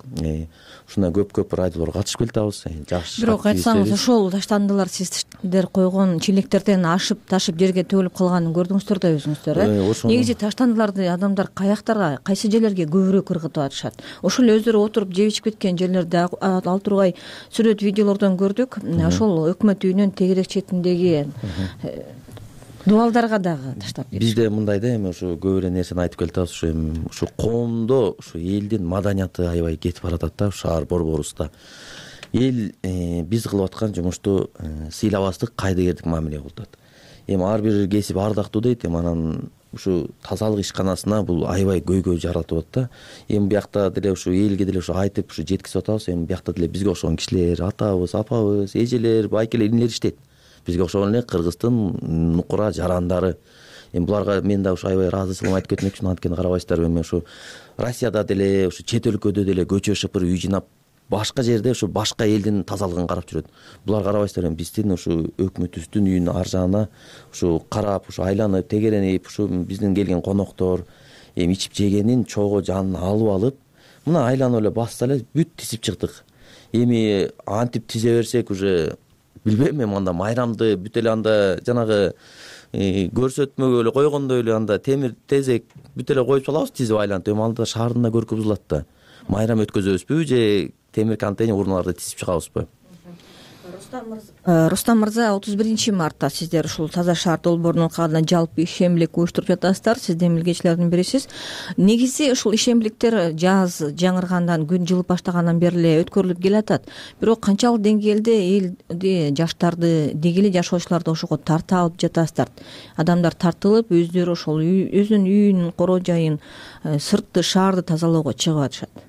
Ушундай көп-көп радиолор катышып келатабыз. Жакшы. Бирок айтсаңыз, ошол таштандылар сиздер койгон челектерден ашып, ташып жерге төгүлүп калганын көрдүңүздөр да өзүңүздөр, э? Негизи таштандыларды адамдар каяктарга, кайсы жерлерге көбүрөөк ыргытып атышат? Ошол өздөрү отуруп жеп ичип кеткен жерлерде ал тургай сүрөт, видеолордон көрдүк. Ошол өкмөт үйүнүн тегерек четиндеги дубалдарга дагы таштап кетишет. Бизде мындай да, эми ушу көп эле нерсени айтып келатабыз. Ушу эми ушу коомдо ушу элдин маданияты аябай кетип баратат да, шаар борборубузда. Эл биз кылып аткан жумушту сыйлабастык, кайдыгердик мамиле кылып атат. Эми ар бир кесип ардактуу дейт, эми анан ушу тазалык ишканасына бул аябай көйгөй жаратып атат да. Эми бияқта деле ушу элге деле ушу айтып ушу жеткизип атабыз. Эми бияқта деле бизге окшогон кишилер, атабыз, апабыз, эжелер, байкелер, инилер иштейт. Бизге окшогон эле Кыргыздын нукура жарандары. Эми буларга мен да ушу аябай ыраазычылыгымды айтып кетмекчимин. Анткени карабайсыздарбы, эми ушу Россияда деле, ушу чет өлкөдө деле көчө шыпыр үй жыйнап, башка жерде ушу башка элдин тазалыгын карап жүрөт. Булар карабайсыздар, эми биздин ушу өкмөтүбүздүн үйүнүн ар жагына ушу карап, ушу айланып, тегеренип, ушу биздин келген коноктор эми ичип жегенин чогуу жанын алып алып, мына айланып эле басса эле бүт тизип чыктык. Эми антип тизе берсек уже билбейм, эми анда майрамды бүт эле анда жанагы көрсөтмөгө эле койгондой эле анда темир тезек бүт эле коюп салабыз, тизип айлантып. Эми анда шаардын да көркү бузулат да. Майрам өткөзөбүзбү же темир контейнер урналарды тизип чыгабызбы? Рустам мырза, отуз биринчи мартта сиздер ушул Таза шаар долбоорунун кагына жалпы ишембилик уюштуруп жатасыздар. Сиз демилгечилердин бирисиз. Негизи ушул ишембиликтер жаз жаңыргандан, күн жылып баштагандан бери эле өткөрүлүп келатат. Бирок канчалык деңгээлде элди, жаштарды, деги эле жашоочуларды ошого тарта алып жатасыздар? Адамдар тартылып, өздөрү ошол өзүнүн үйүнүн, короо жайын, сыртты, шаарды тазалоого чыгып атышат.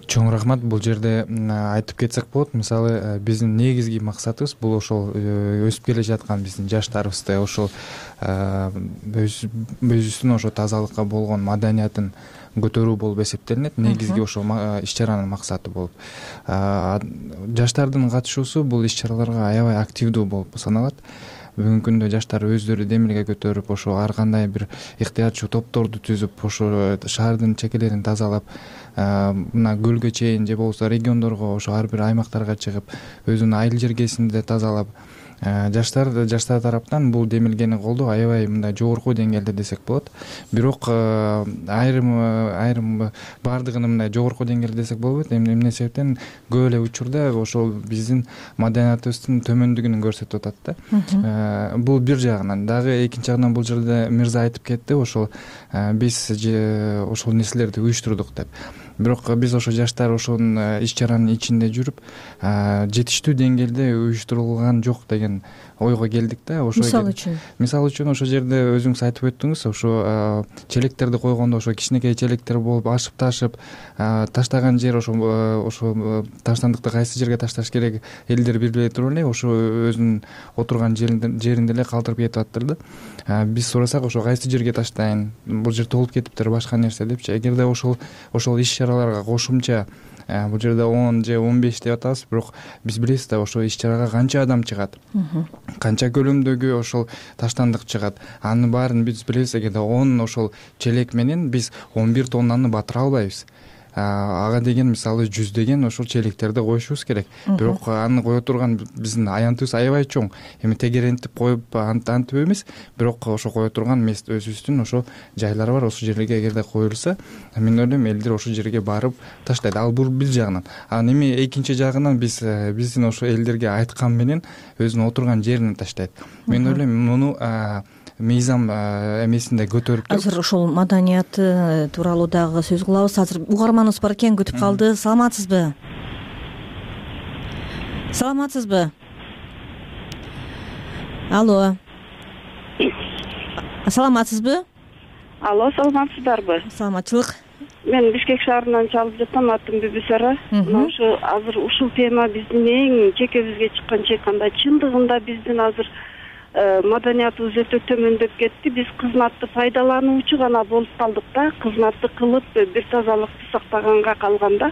чоң рахмат. Бул жерде айтып кетсек болот. Мисалы биздин негизги максатыбыз бул ошол өсүп келе жаткан биздин жаштарыбызды ошол өзүбүздүн ошо тазалыкка болгон маданиятын көтөрүү болуп эсептелинет. Негизги ошол иш чаранын максаты болуп. Жаштардын катышуусу бул иш чараларга аябай активдүү болуп саналат. Бүгүнкү күндө жаштар өздөрү демилге көтөрүп, ошо ар кандай бир ыктыярчуу топторду түзүп, ошо шаардын чекелерин тазалап, мына көлгө чейин же болбосо региондорго, ошо ар бир аймактарга чыгып, өзүнүн айыл жергесинде тазалап, жаштар жаштар тараптан бул демилгени колдоо аябай мындай жогорку деңгээлде десек болот. Бирок айрым айрым баардыгын мындай жогорку деңгээлде десек болбойт. Эмне себептен көп эле учурда ошол биздин маданиятыбыздын төмөндүгүн көрсөтүп атат да. Бул бир жагынан. Дагы экинчи жагынан бул жерде мырза айтып кетти, ошол биз ошол нерселерди уюштурдук деп. Бирок биз ошо жаштар ошонун иш чаранын ичинде жүрүп, жетиштүү деңгээлде уюштурулган жок деген ойго келдик да. Ошо мисалы үчүн мисалы үчүн ошол жерде өзүңүз айтып өттүңүз, ошо челектерди койгондо ошо кичинекей челектер болуп ашып ташып, таштаган жер ошо ошо таштандыкты кайсы жерге ташташ керек элдер билбей туруп эле ошо өзүнүн отурган жеринде эле калтырып кетип атыптыр да. Биз сурасак ошо кайсы жерге таштайын, бул жер толуп кетиптир, башка нерсе депчи. Эгерде ошол ошол иш чараларга кошумча бул жерде он же он беш деп атабыз, бирок биз билебиз да ошо иш чарага канча адам чыгат, канча көлөмдөгү ошол таштандык чыгат. Анын баарын биз билебиз. Эгерде он ошол челек менен биз он бир тоннаны батыра албайбыз. Ага деген мисалы жүздөгөн ошол челектерди коюшубуз керек. Бирок аны кое турган биздин аянтыбыз аябай чоң. Эми тегерентип коюп антип эмес, бирок ошо кое турган мест өзүбүздүн ошо жайлар бар. Ошол жерлерге эгерде коюлса, мен ойлойм элдер ошол жерге барып таштайт. Ал бул бир жагынан. Анан эми экинчи жагынан биз биздин ошо элдерге айткан менен өзүнүн отурган жерине таштайт. Мен ойлойм муну мыйзам эмесинде көтөрүп туруп азыр ошол маданият тууралуу дагы сөз кылабыз. Азыр угарманыбыз бар экен, күтүп калды. Саламатсызбы? Саламатсызбы? Алло. Саламатсызбы? Алло, саламатсыздарбы? Саламатчылык. Мен Бишкек шаарынан чалып жатам, атым Бүбүсара. Мына ушу азыр ушул тема биздин эң чекебизге чыккан чейканда, чындыгында биздин азыр маданиятыбыз өтө төмөндөп кетти. Биз кызматты пайдалануучу гана болуп калдык да. Кызматты кылып бир тазалыкты сактаганга калганда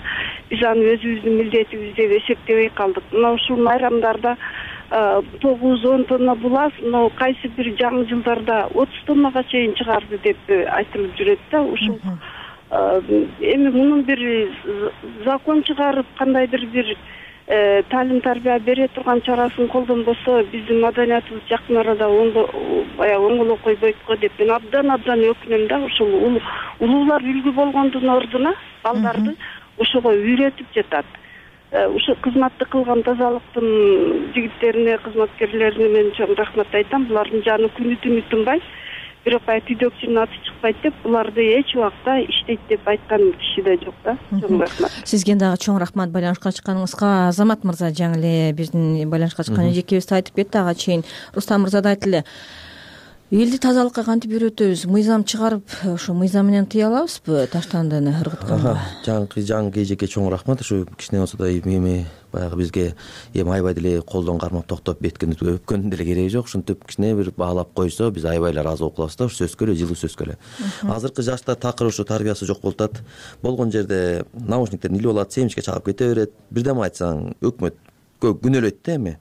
биз аны өзүбүздүн милдетибиз деп эсептебей калдык. Мына ушул майрамдарда тогуз он тонна булас, но кайсы бир жаңы жылдарда отуз тоннага чейин чыгарды деп айтылып жүрөт да. Ушул эми мунун бир закон чыгарып, кандайдыр бир талим тарбия бере турган чарасын колдонбосо биздин маданиятыбыз жакын арада баягы оңоло койбойт го деп мен абдан абдан өкүнөм да. Ушул улуулар үлгү болгондун ордуна балдарды ошого үйрөтүп жатат. Ушу кызматты кылган тазалыктын жигиттерине, кызматкерлерине мен чоң рахмат айтам. Булардын жаны күнү түнү тынбайт. Бирок түйдөкчүнүн аты чыкпайт деп буларды эч убакта иштейт деп айткан киши да жок да. Чоң рахмат. Сизге дагы чоң рахмат байланышка чыкканыңызга. Азамат мырза жаңы эле биздин байланышка чыккан эжекебиз айтып кетти, ага чейин Рустам мырза да айтты эле. Элди тазалыкка кантип үйрөтөбүз? Мыйзам чыгарып, ошо мыйзам менен тыя алабызбы таштандыны ыргытканга? Жаңы жаңы эжекке чоң рахмат. Ушу кичине болсо да эми баягы бизге эми аябай деле колдон кармап токтоп беткенди өпкөндүн деле кереги жок. Ушинтип кичине бир баалап койсо биз аябай эле ыраазы болуп калабыз да. Ушу сөзгө эле, жылуу сөзгө эле. Азыркы жаштар такыр ушу тарбиясы жок болуп атат. Болгон жерде наушниктерин илип алат, семчикке чалып кете берет. Бирдеме айтсаң өкмөт күнөөлөйт да эми.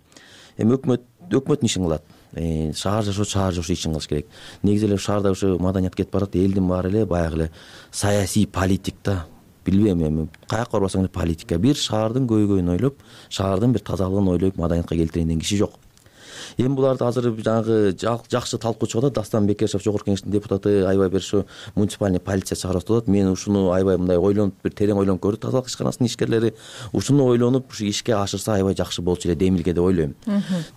Эми өкмөт өкмөттүн ишин кылат. Шаар жашоо шаар жашоо ишин кылыш керек. Негизи эле шаарда ушу маданият кетип барат. Элдин баары эле баягы эле саясий политик да. Билбейм эми каяка барбасаң эле политика. Бир шаардын көйгөйүн ойлоп, шаардын бир тазалыгын ойлоп маданиятка келтирейин деген киши жок. Эми буларды азыр жаңы жакшы талкуу чыгып атат. Дастан Бекешев жогорку кеңештин депутаты аябай бир ушу муниципальный полиция чыгарып атат. Мен ушуну аябай мындай ойлонуп, бир терең ойлонуп көрдүк. Тазалык ишканасынын ишкерлери ушуну ойлонуп, ушу ишке ашырса аябай жакшы болчу эле демилге деп ойлойм.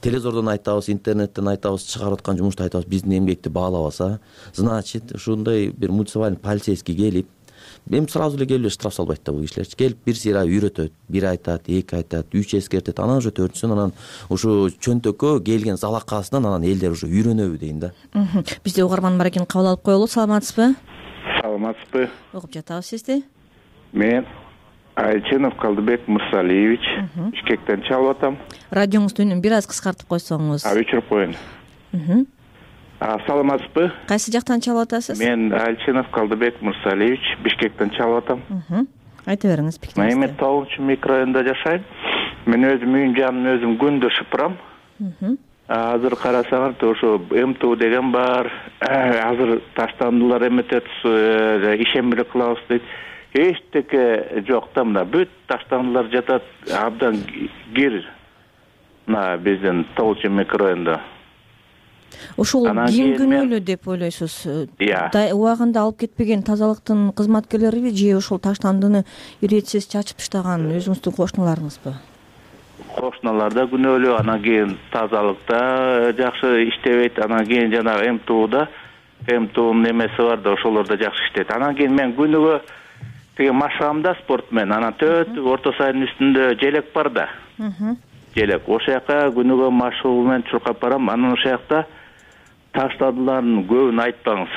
Телевизордон айтабыз, интернеттен айтабыз, чыгарып аткан жумушту айтабыз, биздин эмгекти баалабаса, значит, ушундай бир муниципальный полицейский келип, эми сразу эле келип штраф салбайт да бул кишилерчи. Келип бир сыйра үйрөтөт, бир айтат, эки айтат, үч эскертет, анан уже төртүнчүсүн анан ушу чөнтөккө келген залакасынан анан элдер уже үйрөнөбү дейин да. Бизде угарман бар экен, кабыл алып коелу. Саламатсызбы? Саламатсызбы? Угуп жатабыз сизди. Мен Айченов Калдыбек Мырсалиевич, Бишкектен чалып атам. Радионуздун үнүн бир аз кыскартып койсоңуз. А өчүрүп коеюн. Саламатсызбы? Кайсы жактан чалып атасыз? Мен Айченов Калдыбек Мырсалиевич, Бишкектен чалып атам. Айта бериңиз пикириңизди. Мен тогузунчу микрорайонунда жашайм. Мен өзүм үйүн жанын өзүм күндө шыпырам. Азыр карасаңар, ошо МТУ деген бар. Азыр таштандылар эметет, ишембире кылабыз дейт. Эчтеке жок да, мына бүт таштандылар жатат, абдан кир. Мына биздин тогузунчу микрорайондо. Ошол ким күнөөлүү деп ойлойсуз? Убагында алып кетпеген тазалыктын кызматкерлериби же ошол таштандыны иретсиз чачып таштаган өзүңүздүн кошуналарыңызбы? Кошуналар да күнөөлүү, анан кийин тазалыкта жакшы иштебейт, анан кийин жанагы МТУда, МТУнун эмеси бар да, ошолор да жакшы иштейт. Анан кийин мен күнүгө тиги машыгамда спорт менен, анан төт орто сайдын үстүндө желек бар да. Желек. Ошол жака күнүгө машыгуу менен чуркап барам. Анан ошол жакта таштадылардын көбүн айтпаңыз.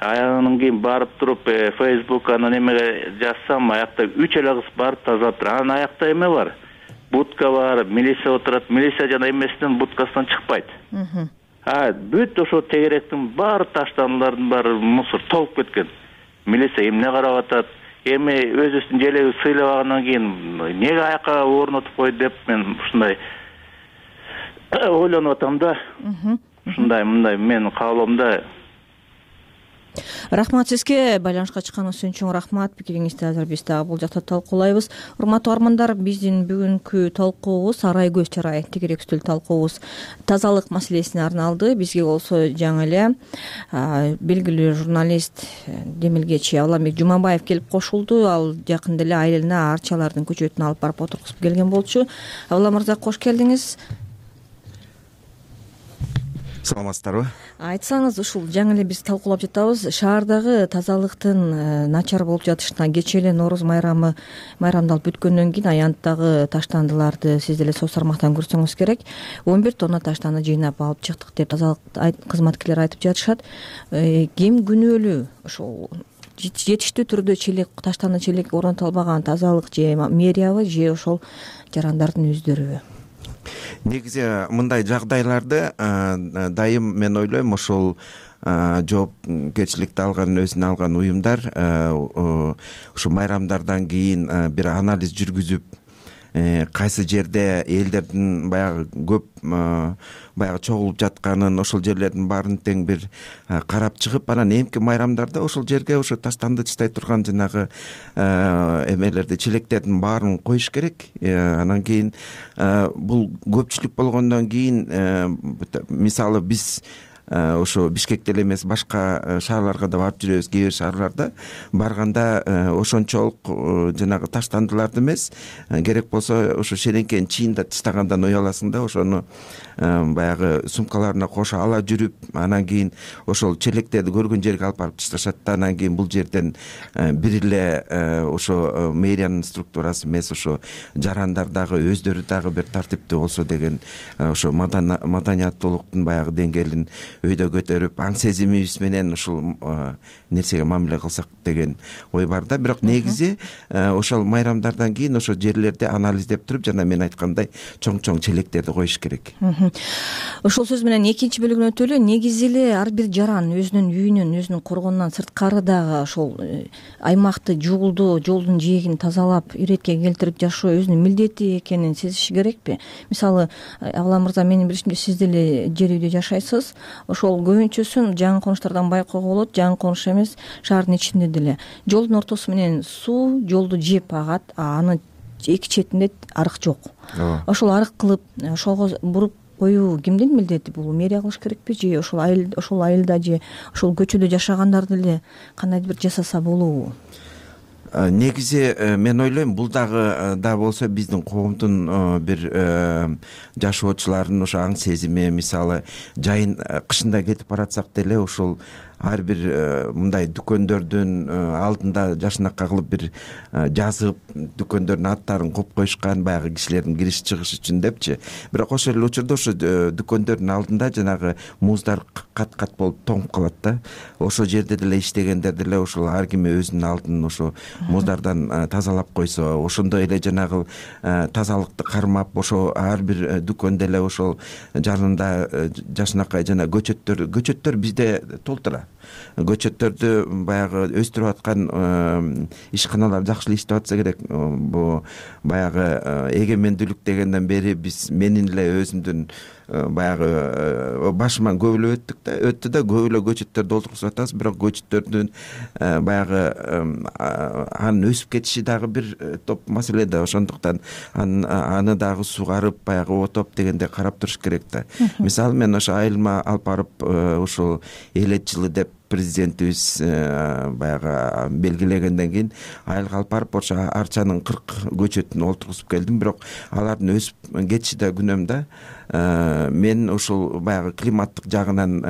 Аягынан кийин барып туруп Facebook анан эмеге жазсам, аякта үч эле кыз барып тазалап турат. Анан аякта эме бар. Будка бар, милиция отурат. Милиция жана эмесинен будкасынан чыкпайт. А бүт ошо тегеректин баары таштандылардын баары мусор толуп кеткен. Милиция эмне карап атат? Эми өзүбүздүн желеги сыйлабагандан кийин эмнеге аякка орнотуп койду деп мен ушундай ойлонуп атам да. Ушундай мындай менин каалоомда. Рахмат сизге, байланышка чыкканыңыз үчүн чоң рахмат. Пикириңизди азыр биз дагы бул жакта талкуулайбыз. Урматтуу армандар, биздин бүгүнкү талкуубуз арай көз чарай тегерек үстүл талкуубуз тазалык маселесине арналды. Бизге болсо жаңы эле белгилүү журналист, демилгечи Авламбек Жумабаев келип кошулду. Ал жакында эле айылына арчалардын көчөтүн алып барып отургузуп келген болчу. Авлам мырза, кош келдиңиз. Саламатсыздарбы? Айтсаңыз, ушул жаңы эле биз талкуулап жатабыз. Шаардагы тазалыктын начар болуп жатышына кечээ эле Нооруз майрамы майрамдалып бүткөндөн кийин аянттагы таштандыларды сиз деле соц тармактан көрсөңүз керек. он бир тонна таштанды жыйнап алып чыктык деп тазалык кызматкерлери айтып жатышат. Ким күнөөлүү? Ошол жетиштүү түрдө челек, таштанды челек орнотулбаган тазалык же мэриябы же ошол жарандардын өздөрүбү? Негизи мындай жагдайларды дайым мен ойлойм ошол жоопкерчиликти алган, өзүнө алган уюмдар ошо майрамдардан кийин бир анализ жүргүзүп, кайсы жерде элдердин баягы көп баягы чогулуп жатканын, ошол жерлердин баарын тең бир карап чыгып, анан эмки майрамдарда ошол жерге ошо таштанды чыстай турган жанагы эмелерди, челектердин баарын коюш керек. Анан кийин бул көпчүлүк болгондон кийин, мисалы биз ошо Бишкекте эле эмес, башка шаарларга да барып жүрөбүз. Кээ бир шаарларда барганда ошончолук жанагы таштандыларды эмес, керек болсо ошо шереңкен чийинде таштагандан уяласың да, ошону баягы сумкаларына кошо ала жүрүп, анан кийин ошол челектерди көргөн жерге алып барып ташташат да, анан кийин бул жерден бир эле ошо мэриянын структурасы эмес, ошо жарандар дагы өздөрү дагы бир тартиптүү болсо деген ошо маданияттуулуктун баягы деңгээлин өйдө көтөрүп, аң сезимибиз менен ушул нерсеге мамиле кылсак деген ой бар да. Бирок негизи ошол майрамдардан кийин ошо жерлерди анализдеп туруп, жана мен айткандай чоң-чоң челектерди коюш керек. Ошол сөз менен экинчи бөлүгүнө өтөлү. Негизи эле ар бир жаран өзүнүн үйүнөн, өзүнүн коргонунан сырткары дагы ошол аймакты жуулдоо, жолдун жээгин тазалап, иретке келтирип жашоо өзүнүн милдети экенин сезиши керекпи? Мисалы, Авлам мырза, менин билишимче сиз деле жер үйдө жашайсыз. Ошол көбүнчөсүн жаңы конуштардан байкоого болот. Жаңы конуш эмес, шаардын ичинде деле жолдун ортосу менен суу жолду жеп агат, а анын эки четинде арык жок. Ошол арык кылып, ошого буруп коюу кимдин милдети? Бул мэрия кылыш керекпи же ошол айыл, ошол айылда же ошол көчөдө жашагандар деле кандайдыр бир жасаса болобу? Негизи мен ойлойм, бул дагы да болсо биздин коомдун бир жашоочулардын ошо аң сезими. Мисалы, жайын кышында кетип баратсак деле ошол ар бир мындай дүкөндөрдүн алдында жашынакай кылып бир жазып дүкөндөрдүн аттарын коюп коюшкан, баягы кишилердин кириш чыгышы үчүн депчи. Бирок ошол эле учурда ошо дүкөндөрдүн алдында жанагы муздар кат кат болуп тоңуп калат да. Ошол жерде деле иштегендер деле ошол ар ким өзүнүн алдын ошо муздардан тазалап койсо, ошондой эле жанагы тазалыкты кармап, ошо ар бир дүкөндө эле ошол жанында жашынакай жана көчөттөр көчөттөр бизде толтура. Көчөттөрдү баягы өстүрүп аткан ишканалар жакшы эле иштеп атса керек. Бу баягы эгемендүүлүк дегенден бери биз менин эле өзүмдүн баягы башыман көп эле өттүк да өттү да көп эле көчөттөрдү олтургузуп атабыз. Бирок көчөттөрдүн баягы анын өсүп кетиши дагы бир топ маселе да. Ошондуктан аны дагы сугарып, баягы отоп дегенде карап туруш керек да. Мисалы мен ошо айылыма алып барып ушул элет жылы деп президентибиз баягы белгилегенден кийин айылга алып барып ошо арчанын кырк көчөтүн олтургузуп келдим. Бирок алардын өсүп кетиши да күнөөм да. Мен ушул баягы климаттык жагынан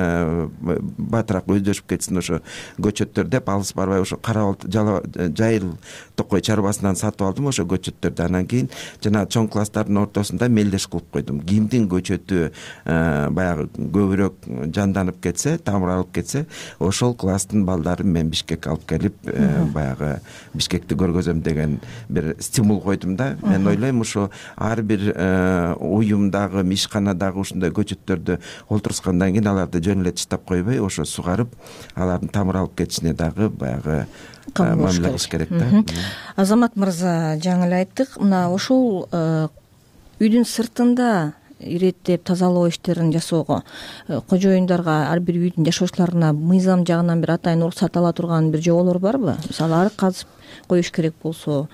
батыраак өздөшүп кетсин ошо көчөттөр деп алыс барбай ошо кара жайыл токой чарбасынан сатып алдым ошо көчөттөрдү. Анан кийин жана чоң класстардын ортосунда мелдеш кылып койдум. Кимдин көчөтү баягы көбүрөөк жанданып кетсе, тамыр алып кетсе, ошол класстын балдарын мен Бишкекке алып келип баягы Бишкекти көргөзөм деген бир стимул койдум да. Мен ойлойм ушо ар бир уюмдагы ишканадагы ушундай көчөттөрдү олтургузгандан кийин аларды жөн эле таштап койбой, ошо сугарып, алардын тамыр алып кетишине дагы баягы мамиле кылыш керек да. Азамат мырза, жаңы эле айттык, мына ошол үйдүн сыртында иреттеп тазалоо иштерин жасоого кожоюндарга, ар бир үйдүн жашоочуларына мыйзам жагынан бир атайын уруксат ала турган бир жоболор барбы? Мисалы, арык казып коюш керек болсо,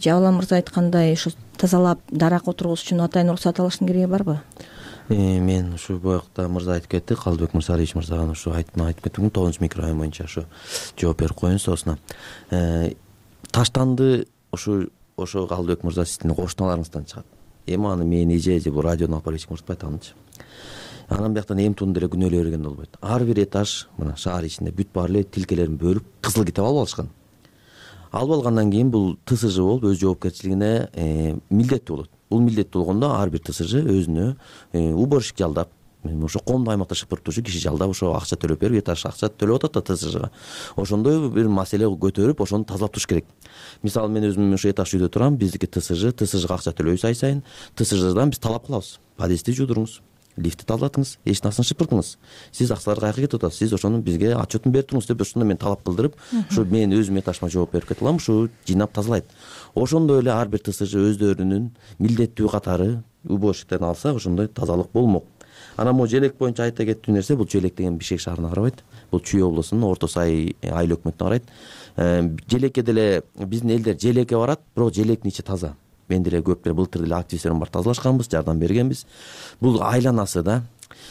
Жабыл мырза айткандай ушу тазалап дарак отургузуш үчүн атайын уруксат алыштын кереги барбы? Мен ушу боякта мырза айтып кетти, Калдыбек Мырзалиевич мырзага ушу айтып кеттим, тогузунчу микрорайон боюнча ушу жооп берип коеюн соосуна. Таштанды ушу ошо Калдыбек мырза сиздин кошуналарыңыздан чыгат. Эми аны мен эже же бул радиону алып барып эч ким урутпайт анычы. Анан бияктан эмтууну деле күнөөлөй бергенде болбойт. Ар бир этаж мына шаар ичинде бүт баары эле тилкелерин бөлүп, кызыл китеп алып алышкан. Алып алгандан кийин бул ТСЖ болуп өз жоопкерчилигине милдеттүү болот. Бул милдеттүү болгондо ар бир ТСЖ өзүнө уборщик жалдап, ошо коомдук аймакта шыпырып турчу киши жалдап, ошо акча төлөп берип, этаж акча төлөп атат да ТСЖга. Ошондой бир маселе көтөрүп, ошону тазалап туруш керек. Мисалы, мен өзүм ошо этаж үйдө турам, биздики ТСЖ, ТСЖга акча төлөйбүз ай сайын. ТСЖдан биз талап кылабыз. Подъездди жуудуруңуз, лифтти тазалатыңыз, эшиктин шыпыртыңыз. Сиз акчалар каяка кетип атасыз? Сиз ошону бизге отчетун берип туруңуз деп ошондо мен талап кылдырып, ушу мен өзүм этажыма жооп берип кете алам, ушу жыйнап тазалайт. Ошондой эле ар бир ТСЖ өздөрүнүн милдеттүү катары уборщиктерин алса, ошондой тазалык болмок. Анан могу желек боюнча айта кеттүү нерсе, бул желек деген Бишкек шаарына карабайт. Бул Чүй облусунун Орто Сай айыл өкмөтүнө карайт. Желекке деле биздин элдер желекке барат, бирок желектин ичи таза. Мен деле көп деле былтыр деле активисттерим бар тазалашканбыз, жардам бергенбиз. Бул айланасы да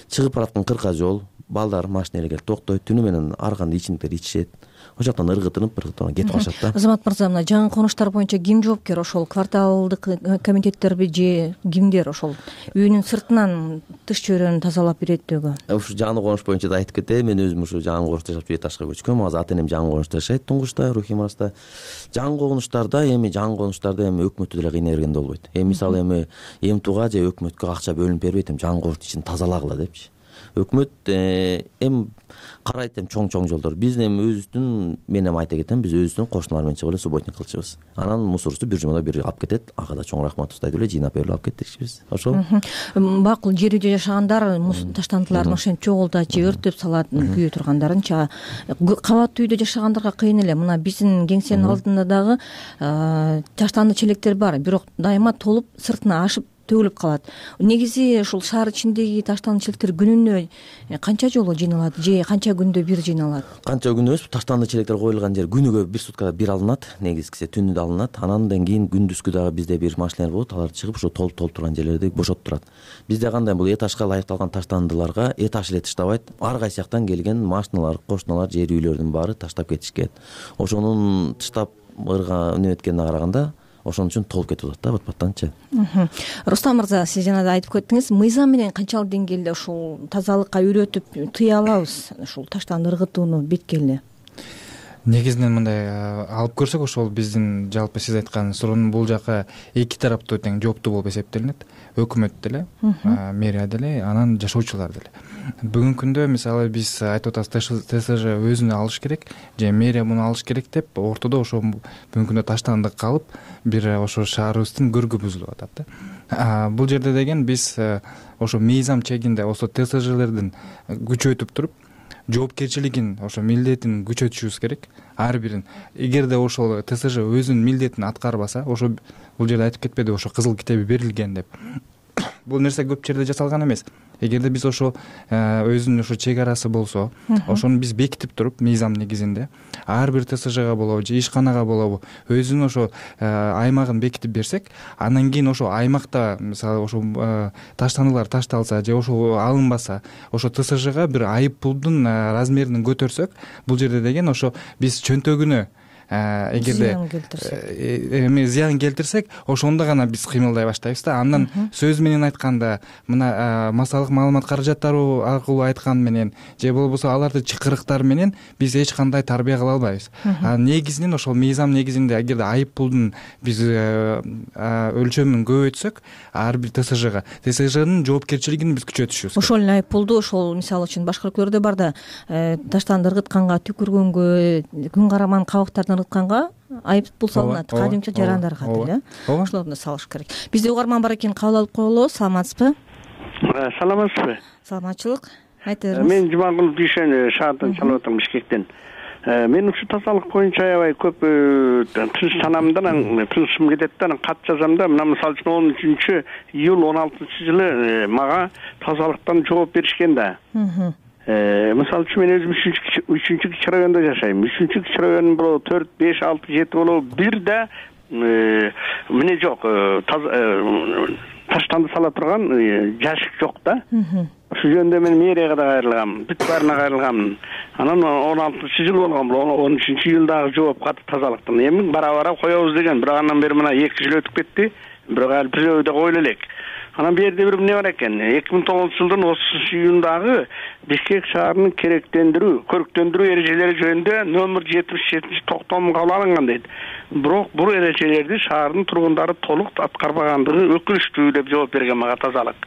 чыгып бараткан кырка жол, балдар машина эле келип токтойт, түнү менен арганда ичимдиктер ичишет. Ошол жактан ыргытынып, ыргытып кетип калышат да. Азамат мырза, мына жаңы конуштар боюнча ким жоопкер? Ошол кварталдык комитеттерби же кимдер ошол үйүнүн сыртынан тыш чөйрөнү тазалап иреттөөгө? Ушу жаңы конуш боюнча да айтып кетейин. Мен өзүм ушу жаңы конушта жашап этажга көчкөм. Азыр ата энем жаңы конушта жашайт, туңгучта, Рухим Араста. Жаңы конуштарда эми жаңы конуштарда эми өкмөттү деле кыйнай бергенде болбойт. Эми мисалы эми эмтууга же өкмөткө акча бөлүнүп бербейт, эми жаңы конуштун ичин тазалагыла депчи. Өкмөт эми карайт, эми чоң-чоң жолдор. Биз эми өзүбүздүн, мен эми айта кетем, биз өзүбүздүн кошуналар менен чыгып эле субботник кылчубуз. Анан мусорубузду бир жумада бир алып кетет. Ага да чоң рахмат устайт эле, жыйнап берип алып кетишибиз. Ошол. Макул, жер үйдө жашагандар таштандыларын ошентип чогултат же өрттөп салат күйө тургандарынча. Кабаттуу үйдө жашагандарга кыйын эле. Мына биздин кеңсенин алдында дагы таштанды челектер бар, бирок дайыма толуп сыртына ашып төгүлүп калат. Негизи ушул шаар ичиндеги таштанды челектер күнүнө канча жолу жыйналат же канча күндө бир жыйналат? Канча күндө эмес, таштанды челектер коюлган жер күнүгө бир суткада бир алынат, негизгиси түнү да алынат. Андан кийин күндүзгү дагы бизде бир машиналар болот, алар чыгып ошо толуп толуп турган жерлерди бошотуп турат. Бизде кандай бул этажга ылайыкталган таштандыларга этаж эле таштабайт, ар кайсы жактан келген машиналар, кошуналар, жер үйлөрдүн баары таштап кетишкен. Ошонун таштап ырга неметкенине караганда ошон үчүн толуп кетип атат да бат баттанчы. Рустам мырза, сиз жана да айтып кеттиңиз, мыйзам менен канчалык деңгээлде ушул тазалыкка үйрөтүп тыя алабыз ушул таштан ыргытууну беткеле? Негизинен мындай алып көрсөк, ошол биздин жалпы сиз айткан суроонун бул жака эки тараптуу тең жооптуу болуп эсептелинет. Өкмөт деле, мэрия деле, анан жашоочулар деле. Бүгүнкү күндө мисалы биз айтып атабыз, ТСЖ өзүнө алыш керек же мэрия муну алыш керек деп, ортодо ошо бүгүнкү күндө таштандык калып, бир ошо шаарыбыздын көркү бузулуп атат да. Бул жерде деген биз ошо мыйзам чегинде ошо ТСЖлердин күчөтүп туруп, жоопкерчилигин, ошо милдетин күчөтүшүбүз керек. Ар бирин эгерде ошол ТСЖ өзүнүн милдетин аткарбаса, ошо бул жерде айтып кетпеди, ошо кызыл китеби берилген деп. Бул нерсе көп жерде жасалган эмес. Эгерде биз ошо өзүнүн ошо чек арасы болсо, ошону биз бекитип туруп мыйзам негизинде ар бир ТСЖга болобу же ишканага болобу өзүнүн ошо аймагын бекитип берсек, андан кийин ошо аймакта мисалы ошо таштандылар ташталса же ошо алынбаса, ошо ТСЖга бир айып пулдун размерин көтөрсөк, бул жерде деген ошо биз чөнтөгүнө эгерде эми зыян келтирсек, ошондо гана биз кыймылдай баштайбыз да. Андан сөз менен айтканда, мына массалык маалымат каражаттары аркылуу айткан менен же болбосо аларды чакырыктар менен биз эч кандай тарбия кыла албайбыз. Негизинен ошол мыйзам негизинде эгерде айып пулдун биз өлчөмүн көбөйтсөк, ар бир ТСЖга ТСЖнын жоопкерчилигин биз күчөтүшүбүз. Ошол эле айып пулду ошол мисалы үчүн башка өлкөлөрдө бар да, таштанды ыргытканга, түкүргөнгө, күн караман кабыктарды ыргытканга айып пул салынат, кадимче жарандарга деле. Ошолорду салыш керек. Бизде угарман бар экен, кабыл алып коелу. Саламатсызбы? Саламатсызбы? Саламатчылык. Айтыңыз. Мен Жумагул Дүйшөн шаардан чалып атам, Бишкектен. Мен ушу тазалык боюнча аябай көп тынчсанамдан, тынчым кетет да, кат жазам да. Мына мисалы үчүн он үчүнчү июль он алтынчы жылы мага тазалыктан жооп беришкен да. Мисалы үчүн мен өзүм үчүнчү кичи райондо жашайм. үчүнчү кичи район болобу, төрт, беш, алты, жети болобу, бир да эмне жок, таштанды сала турган жашык жок да. Ошол жөнүндө мен мэрияга да кайрылгам, бүт баарына кайрылгам. Анан он алтынчы жыл болгон, он үчүнчү июлдагы жооп катты тазалыктан. Эми бара-бара коебуз деген, бирок андан бери мына эки жыл өтүп кетти. Бирок ал бирөө да койлу элек. Анан бул жерде бир эмне бар экен, эки миң тогузунчу жылдын отузунчу июндагы Бишкек шаарынын керектендирүү, көрктөндүрүү эрежелери жөнүндө номер жетимиш жетинчи токтому кабыл алынган дейт. Бирок бул эрежелерди шаардын тургундары толук аткарбагандыгы өкүнүчтүү деп жооп берген мага тазалык.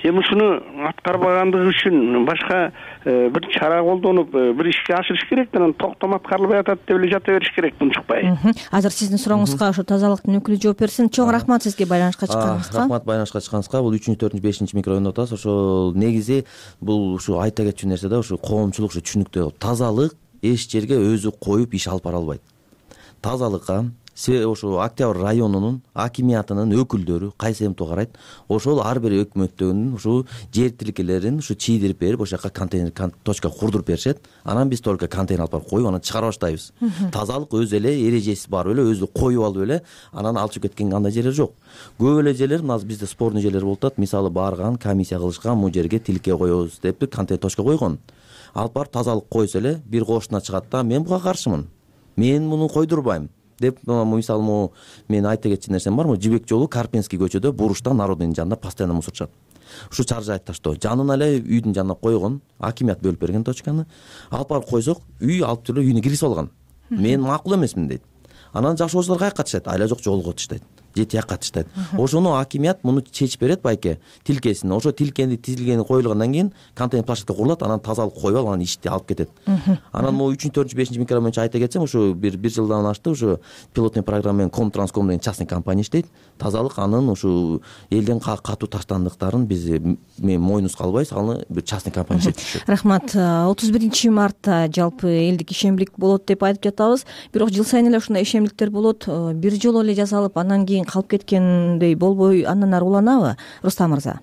Эми ушуну аткарбагандыгы үчүн башка бир чара колдонуп, бир ишке ашырыш керек, анан токтом аткарылбай атат деп эле жата бериш керек, унчукпай. Азыр сиздин сурооңузга ошо тазалыктын өкүлү жооп берсин. Чоң рахмат сизге байланышка чыкканыңызга. Рахмат байланышка чыкканыңызга. Бул үчүнчү, төртүнчү, бешинчи микрорайондо атабыз. Ошо негизи бул ушу айта кетчү нерсе да, ушу коомчулук ушу түшүнүктүү. Тазалык эч жерге өзү коюп иш алып бара албайт. Тазалыкка ошо Октябрь районунун акимиятынын өкүлдөрү кайсы эмтип карайт, ошол ар бир өкмөттөгүн ушу жер тилкелерин ушу чийдирип берип, ошол жака контейнер точка курдуруп беришет. Анан биз только контейнер алып барып коюп, анан чыгара баштайбыз. Тазалык өз эле эрежеси бар эле, өзү коюп алып эле, анан алып чыгып кеткен кандай жерлер жок. Көп эле жерлер, мына бизде спорный жерлер болуп атат. Мисалы барган, комиссия кылышкан, бул жерге тилке коебуз деп контейнер точка койгон. Алып барып тазалык койсо эле бир кошуна чыгат да, мен буга каршымын. Мен муну койдурбайм деп, мисалы мен айта кетчү нерсем бармы? Жибек жолу Карпинский көчөдө буруштан народный жанында постоянно мусор чыгат. Ушу чаржайды таштоо. Жанына эле үйдүн жанына койгон, акимият бөлүп берген точканы. Алып барып койсок, үй алып жүрүп үйүнө киргизип алган. Мен макул эмесмин дейт. Анан жашоочулар каяка катышат? Айла жок, жолго катышат. Же тияка катышат. Ошону акимият муну чечип берет байке, тилкесин. Ошо тилкени тизилгени коюлгандан кийин контейнер площадка курулат, анан тазалык коюп алып, анан ишти алып кетет. Анан могу үчүнчү, төртүнчү, бешинчи микрорайон боюнча айта кетсем, ушу бир бир жылдан ашты, ушу пилотный программа менен Комтранском деген частный компания иштейт. Тазалык анын ушу элден катуу таштандыктарын биз мен мойнубузга албайбыз, аны бир частный компания иштетишет. Рахмат. отуз биринчи мартта жалпы элдик ишембилик болот деп айтып жатабыз. Бирок жыл сайын эле ушундай ишембиликтер болот. Бир жолу эле жасалып, анан кийин калып кеткендей болбой, андан ары уланабы, Рустам мырза?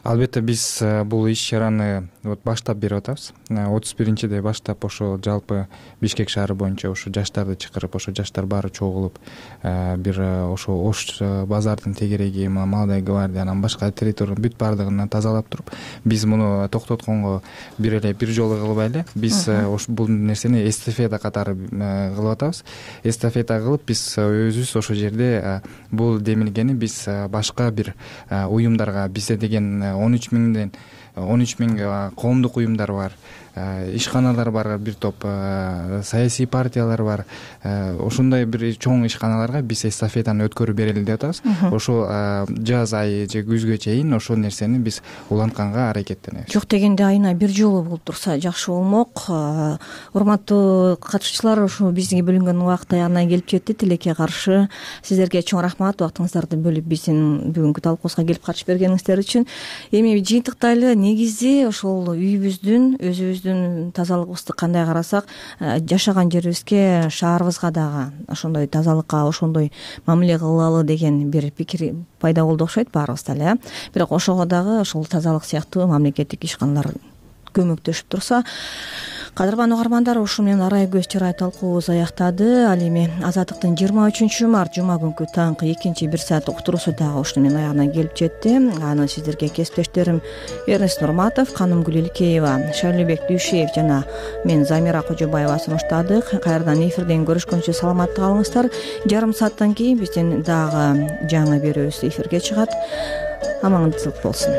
Албетте биз бул иш чараны вот баштап берип атабыз. отуз биринчиде баштап ошо жалпы Бишкек шаары боюнча ошо жаштарды чакырып, ошо жаштар баары чогулуп, бир ошо Ош базардын тегереги, Молодая гвардия, анан башка территориянын бүт баардыгын тазалап туруп, биз муну токтотконго бир эле бир жолу кылбай эле биз бул нерсени эстафета катары кылып атабыз. Эстафета кылып биз өзүбүз ошол жерде бул демилгени биз башка бир уюмдарга, бизде деген он үч миңден он үч миң коомдук уюмдар бар, ишканалар бар, бир топ саясий партиялар бар. Ошондой бир чоң ишканаларга биз эстафетаны өткөрүп берели деп атабыз. Ошо жаз айы же күзгө чейин ошол нерсени биз улантканга аракеттенебиз. Жок дегенде айына бир жолу болуп турса жакшы болмок. Урматтуу катышуучулар, ушул бизге бөлүнгөн убакыт аягына келип жетти. Тилекке каршы сиздерге чоң рахмат, убактыңыздарды бөлүп биздин бүгүнкү талкуубузга келип катышып бергениңиздер үчүн. Эми жыйынтыктайлы, негизи ошол үйүбүздүн, өзүбүздүн тазалыгыбызды кандай карасак, жашаган жерибизге, шаарыбызга дагы ошондой тазалыкка, ошондой мамиле кылалы деген бир пикир пайда болду окшойт баарыбызда эле. Бирок ошого дагы ошол тазалык сыяктуу мамлекеттик ишканалар көмөктөшүп турса. Кадырман угармандар, ушу менен арай көз чырай талкуубуз аяктады. Ал эми Азаттыктын жыйырма үчүнчү март жума күнкү таңкы экинчи бир саат уктуруусу дагы ушуну менен аягына келип жетти. Аны сиздерге кесиптештерим Эрнест Нурматов, Канымгүл Илкеева, Шайлообек Дүйшеев жана мен Замира Кожобаева сунуштадык. Кайрадан эфирден көрүшкөнчө саламатта калыңыздар. Жарым сааттан кийин биздин дагы жаңы берүүбүз эфирге чыгат. Амандуулук болсун.